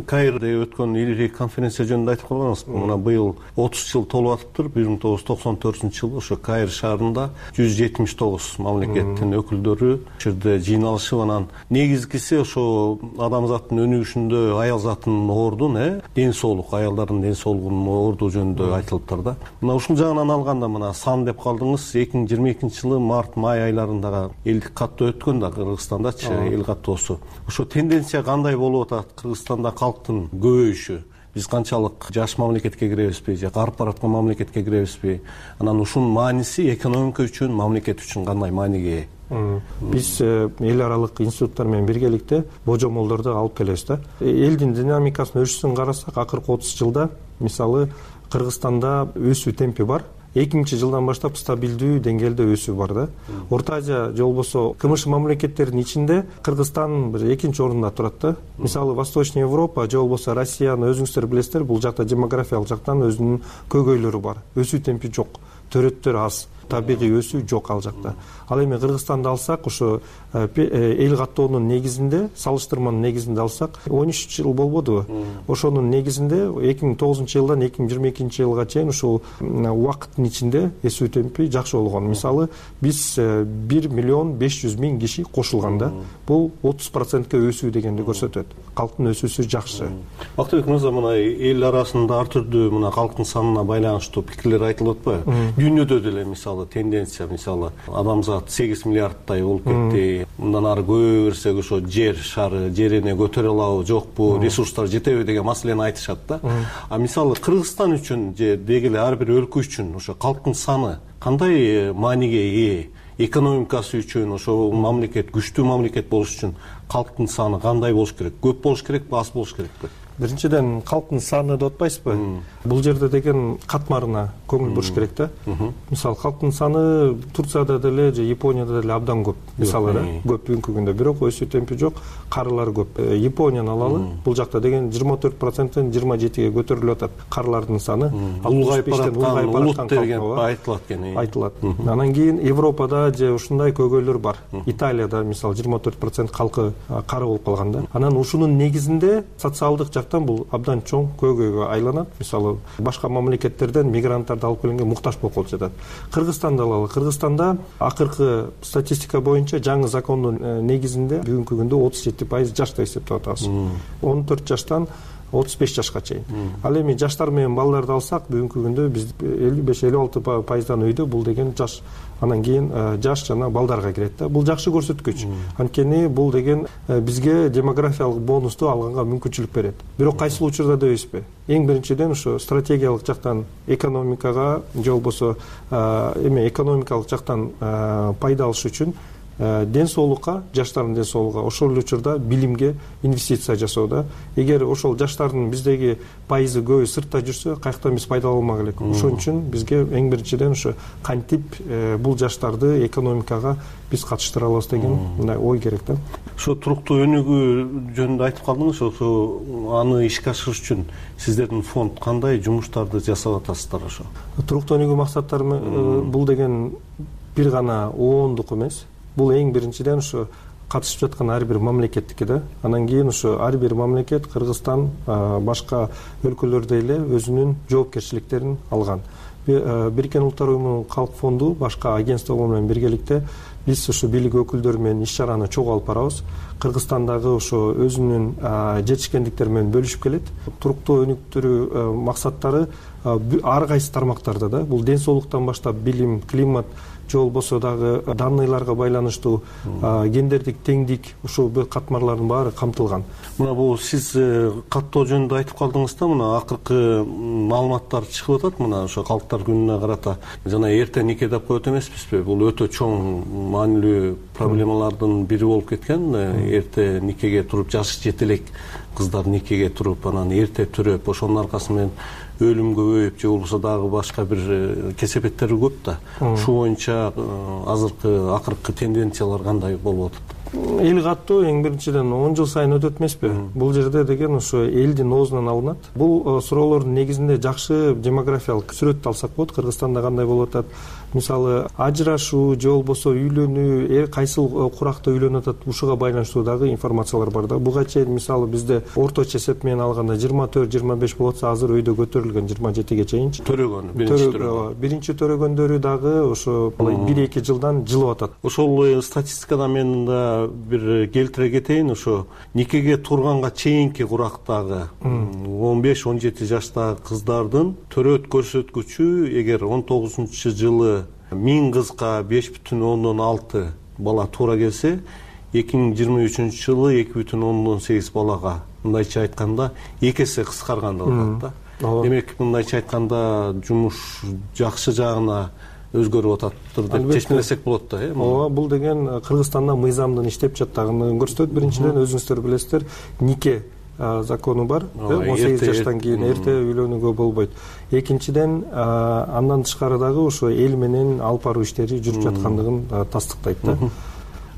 Каирде өткөн илгирки конференция жөнүндө айтып койгонсуз. Мына быйыл отуз жыл толуп атыптыр. бир миң тогуз жүз токсон төртүнчү жылы ошо Каир шаарында жүз жетимиш тогуз мамлекеттин өкүлдөрү ушул жерде жыйналышып, анан негизгиси ошо адамзаттын өнүгүшүндө аял затынын ордун, э, ден соолук, аялдардын ден соолугунун орду жөнүндө айтылыптыр да. Мына ушул жагынан алганда мына сан деп калдыңыз. эки миң жыйырма экинчи жылы март, май айларындагы элдик каттоо өткөн да Кыргызстандачы, эл каттоосу. Ошо тенденция кандай болуп атат? Кыргызстанда калктын көбөйүшү, биз канчалык жаш мамлекетке киребизби же карып бараткан мамлекетке киребизби? Анан ушунун мааниси экономика үчүн, мамлекет үчүн кандай мааниге ээ? Биз эл аралык институттар менен биргеликте божомолдорду алып келебиз да. Элдин динамикасынын өсүшүн карасак, акыркы отуз жылда мисалы Кыргызстанда өсүү темпи бар. эки миңинчи жылдан баштап стабилдүү деңгээлде өсүү бар да. Орто Азия же болбосо КМШ мамлекеттеринин ичинде Кыргызстан бир экинчи орунда турат да. Мисалы Восточный Европа же болбосо Россияны өзүңүздөр билесиздер, бул жакта демографиялык жактан өзүнүн көйгөйлөрү бар. Өсүү темпи жок, төрөттөр аз, табигый өсүү жок ал жакта. Ал эми Кыргызстанды алсак, ошо эл каттоонун негизинде, салыштырманын негизинде алсак, он үч жыл болбодубу? Ошонун негизинде эки миң тогузунчу жылдан эки миң жыйырма экинчи жылга чейин ушул убакыттын ичинде өсүү темпи жакшы болгон. Мисалы, биз бир миллион беш жүз миң киши кошулганда, бул отуз процентке өсүү дегенди көрсөтөт. Калктын өсүүсү жакшы. Бактыбек мырза, мына эл арасында ар түрдүү мына калктын санына байланыштуу пикирлер айтылып атпайбы? Дүйнөдө деле мисалы тенденция, мисалы адамзат сегиз миллиардтай болуп кетти. Мындан ары көбөйө берсек ошо жер шары, жерине көтөрө алабы, жокпу, ресурстар жетеби деген маселени айтышат да. А мисалы Кыргызстан үчүн же деги эле ар бир өлкө үчүн ошо калктын саны кандай мааниге ээ? экономикасы үчүн ошо мамлекет күчтүү мамлекет болуш үчүн калктын саны кандай болуш керек? Көп болуш керекпи, аз болуш керекпи? Биринчиден, калктын саны деп атпайсызбы? Бул жерде деген катмарына көңүл буруш керек да. Мисалы, калктын саны Турцияда деле же Японияда деле абдан көп. Мисалы, көп бүгүнкү күндө, бирок өсүү темпи жок, карылар көп. Японияны алалы, бул жакта деген жыйырма төрт проценттен жыйырма жетиге көтөрүлүп атат карылардын саны. Улгайып бараткан улут деген айтылат экен. Айтылат. Анан кийин Европада же ушундай көйгөйлөр бар. Италияда мисалы жыйырма төрт процент калкы кары болуп калган да. Анан ушунун негизинде социалдык бул абдан чоң көйгөйгө айланат. Мисалы, башка мамлекеттерден мигранттарды алып келгенге муктаж болуп калып жатат. Кыргызстанды алалы. Кыргызстанда акыркы статистика боюнча жаңы закондун негизинде бүгүнкү күндө отуз жети пайыз жашты эсептеп атабыз. он төрт жаштан отуз беш жашка чейин. Ал эми жаштар менен балдарды алсак, бүгүнкү күндө биз элүү беш элүү алты пайыздан үйдө бул деген жаш. Анан кийин жаш жана балдарга кирет да. Бул жакшы көрсөткүч. Анткени бул деген бизге демографиялык бонусту алганга мүмкүнчүлүк берет. Бирок кайсыл учурда дебейсизби? Эң биринчиден ушу стратегиялык жактан экономикага же болбосо эме экономикалык жактан пайда алыш үчүн ден соолукка, жаштардын ден соолугуна, ошол эле учурда билимге инвестиция жасоодо. Эгер ошол жаштардын биздеги пайызы көбү сыртта жүрсө, каяктан биз пайдалана алмак элек. Ошон үчүн бизге эң биринчиден ушу кантип бул жаштарды экономикага биз катыштыра алабыз деген мындай ой керек да. Ошо туруктуу өнүгүү жөнүндө айтып калдыңыз, ошо аны ишке ашырыш үчүн сиздердин фонд кандай жумуштарды жасап атасыздар ошо? Туруктуу өнүгүү максаттары бул деген бир гана оондук эмес. Бул эң биринчиден ушу катышып жаткан ар бир мамлекеттики да. Анан кийин ушу ар бир мамлекет, Кыргызстан, башка өлкөлөрдө эле өзүнүн жоопкерчиликтерин алган. Бириккен Улуттар Уюмунун Калк фонду башка агентстволор менен биргеликте биз ушу бийлик өкүлдөрү менен иш чараны чогуу алып барабыз. Кыргызстандагы ошо өзүнүн жетишкендиктери менен бөлүшүп келет. Туруктуу өнүктүрүү максаттары ар кайсы тармактарда да. Бул ден соолуктан баштап билим, климат, же болбосо дагы данныйларга байланыштуу гендердик теңдик, ушул катмарлардын баары камтылган. Мына бул сиз каттоо жөнүндө айтып калдыңыз да, мына акыркы маалыматтар чыгып атат, мына ошо калктар күнүнө карата жана эрте нике деп коет эмеспизби? Бул өтө чоң маанилүү проблемалардын бири болуп кеткен. Эрте никеге туруп, жашы жете элек кыздар никеге туруп, анан эрте төрөп, ошонун аркасы менен өлүм көбөйүп же болбосо дагы башка бир кесепеттери көп да. Ушул боюнча азыркы акыркы тенденциялар кандай болуп атат? Эл каттоо эң биринчиден он жыл сайын өтөт эмеспи? Бул жерде деген ошо элдин оозунан алынат. Бул суроолордун негизинде жакшы демографиялык сүрөттү алсак болот. Кыргызстанда кандай болуп атат? Мисалы, ажырашуу же болбосо үйлөнүү, кайсыл куракта үйлөнүп атат, ушуга байланыштуу дагы информациялар бар да. Буга чейин мисалы бизде орточо эсеп менен алганда жыйырма төрт жыйырма беш болот, азыр өйдө көтөрүлгөн жыйырма жетиге чейинчи. Төрөгөн, биринчи төрөгөн. Биринчи төрөгөндөрү дагы ошо бир эки жылдан жылып атат. Ошол статистикадан мен да бир келтире кетейин, ошо никеге турганга чейинки курактагы он беш он жети жаштагы кыздардын төрөт көрсөткүчү эгер он тогузунчу жылы миң кызга беш бүтүн ондон алты бала туура келсе, эки миң жыйырма үчүнчү жылы эки бүтүн ондон сегиз балага, мындайча айтканда эки эсе кыскарган деп атат да. Демек, мындайча айтканда жумуш жакшы жагына өзгөрүп ататтыр деп чечмелесек болот да, э? Ооба, бул деген Кыргызстанда мыйзамдын иштеп жаткандыгын көрсөтөт. Биринчиден, өзүңүздөр билесиздер, нике закону бар. он сегиз жаштан кийин эрте үйлөнүүгө болбойт. Экинчиден, андан тышкары дагы ошо эл менен алып баруу иштери жүрүп жаткандыгын тастыктайт да.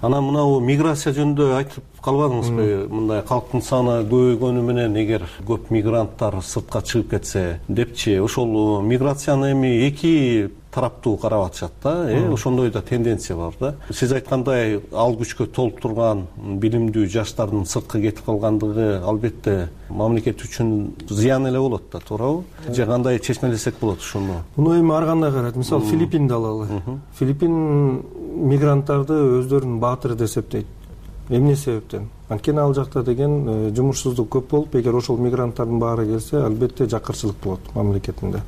Анан мынау миграция жөнүндө айтып калбадыңызбы? Мындай калктын саны көбөйгөнү менен эгер көп мигранттар сыртка чыгып кетсе депчи, ошол миграцияны эми эки тараптуу карап атышат да, э, ошондой да тенденция бар да. Сиз айткандай, ал күчкө толуп турган билимдүү жаштардын сыртка кетип калгандыгы албетте мамлекет үчүн зыян эле болот да, туурабы? Же кандай чечмелесек болот ушуну? Муну эми ар кандай карайт. Мисалы, Филиппинди алалы. Филиппин мигранттарды өздөрүнүн баатыры деп эсептейт. Эмне себептен? Анткени ал жакта деген жумушсуздук көп болуп, эгер ошол мигранттардын баары келсе, албетте жакырчылык болот мамлекетинде.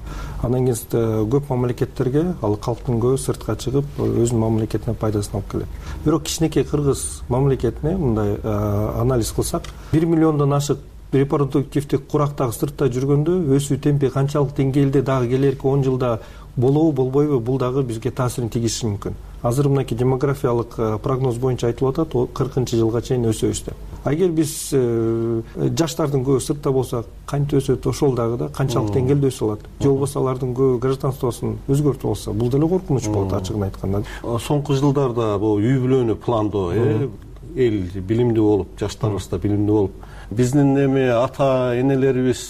Андан кийин көп мамлекеттерге ал калктын көбү сыртка чыгып, өзүнүн мамлекетине пайдасын алып келет. Бирок кичинекей Кыргыз мамлекетине мындай анализ кылсак, бир миллиондон ашык репродуктивдик курактагы сыртта жүргөндө өсүү темпи канчалык деңгээлде дагы келерки он жылда болобу болбойбу, бул дагы бизге таасирин тийгизиши мүмкүн. азыр мынакей демографиялык прогноз боюнча айтылып атат кыркынчы жылга чейин өсөбүз деп. А эгер биз жаштардын көбү сыртта болсо кантип өсөт, ошол дагы да канчалык деңгээлде өсө алат, же болбосо алардын көбү гражданствосун өзгөртүп алса, бул деле коркунуч болот ачыгын айтканда. Соңку жылдарда бул үй бүлөнү пландоо эл билимдүү болуп, жаштарыбыз да билимдүү болуп, биздин эме ата энелерибиз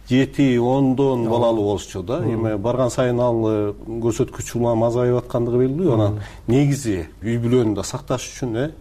жети ондон балалуу болушчу да. Эми барган сайын ал көрсөткүч улам азайып аткандыгы белгилүү. Анан негизи үй бүлөнү да сакташ үчүн, э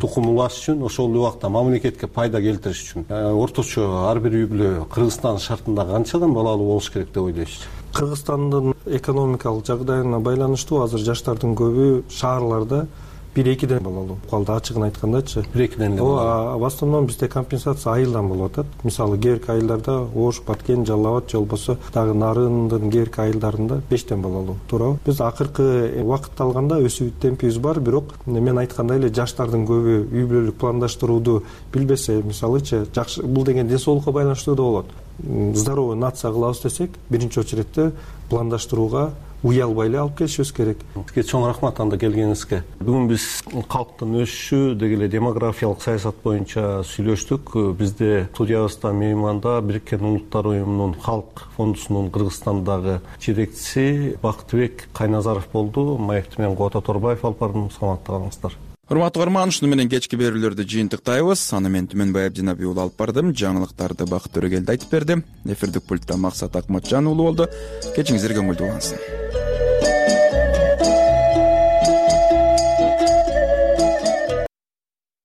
тукум улаш үчүн, ошол убакта мамлекетке пайда келтириш үчүн орточо ар бир үй бүлө Кыргызстан шартында канчадан балалуу болуш керек деп ойлойсуз? Кыргызстандын экономикалык жагдайына байланыштуу азыр жаштардын көбү шаарларда бир экиден балалуу калды, ачыгын айткандачы. бир экиден эле балалуу. В основном бизде компенсация айылдан болуп атат. Мисалы кээ бирки айылдарда Ош, Баткен, Жалал Абад же болбосо дагы Нарындын кээ бирки айылдарында бештен балалуу, туурабы? Биз акыркы убакытты алганда өсүү темпибиз бар, бирок мен айткандай эле жаштардын көбү үй бүлөлүк пландаштырууду билбесе, мисалычы, жакшы бул деген ден соолукка байланыштуу да болот. Здоровый нация кылабыз десек, биринчи очередте пландаштырууга уялбай эле алып келишибиз керек. Сизге чоң рахмат анда келгениңизге. Бүгүн биз калктын өсүшү деги эле демографиялык саясат боюнча сүйлөштүк. Бизде студиябызда мейманда Бириккен Улуттар уюмунун Халк фондусунун Кыргызстандагы жетекчиси Бактыбек Кайназаров болду. Маекти менен Кубат Оторбаев алып бардым. Саламатта калыңыздар. Урматтуу угарман, ушуну менен кечки берүүлөрдү жыйынтыктайбыз. Аны мен Түмөнбай Абдинабий уулу алып бардым. Жаңылыктарды Бакыт Төрөгелди айтып берди. Эфирдик пультта Максат Акматжан уулу болду. Кечиңиздер көңүлдүү улансын.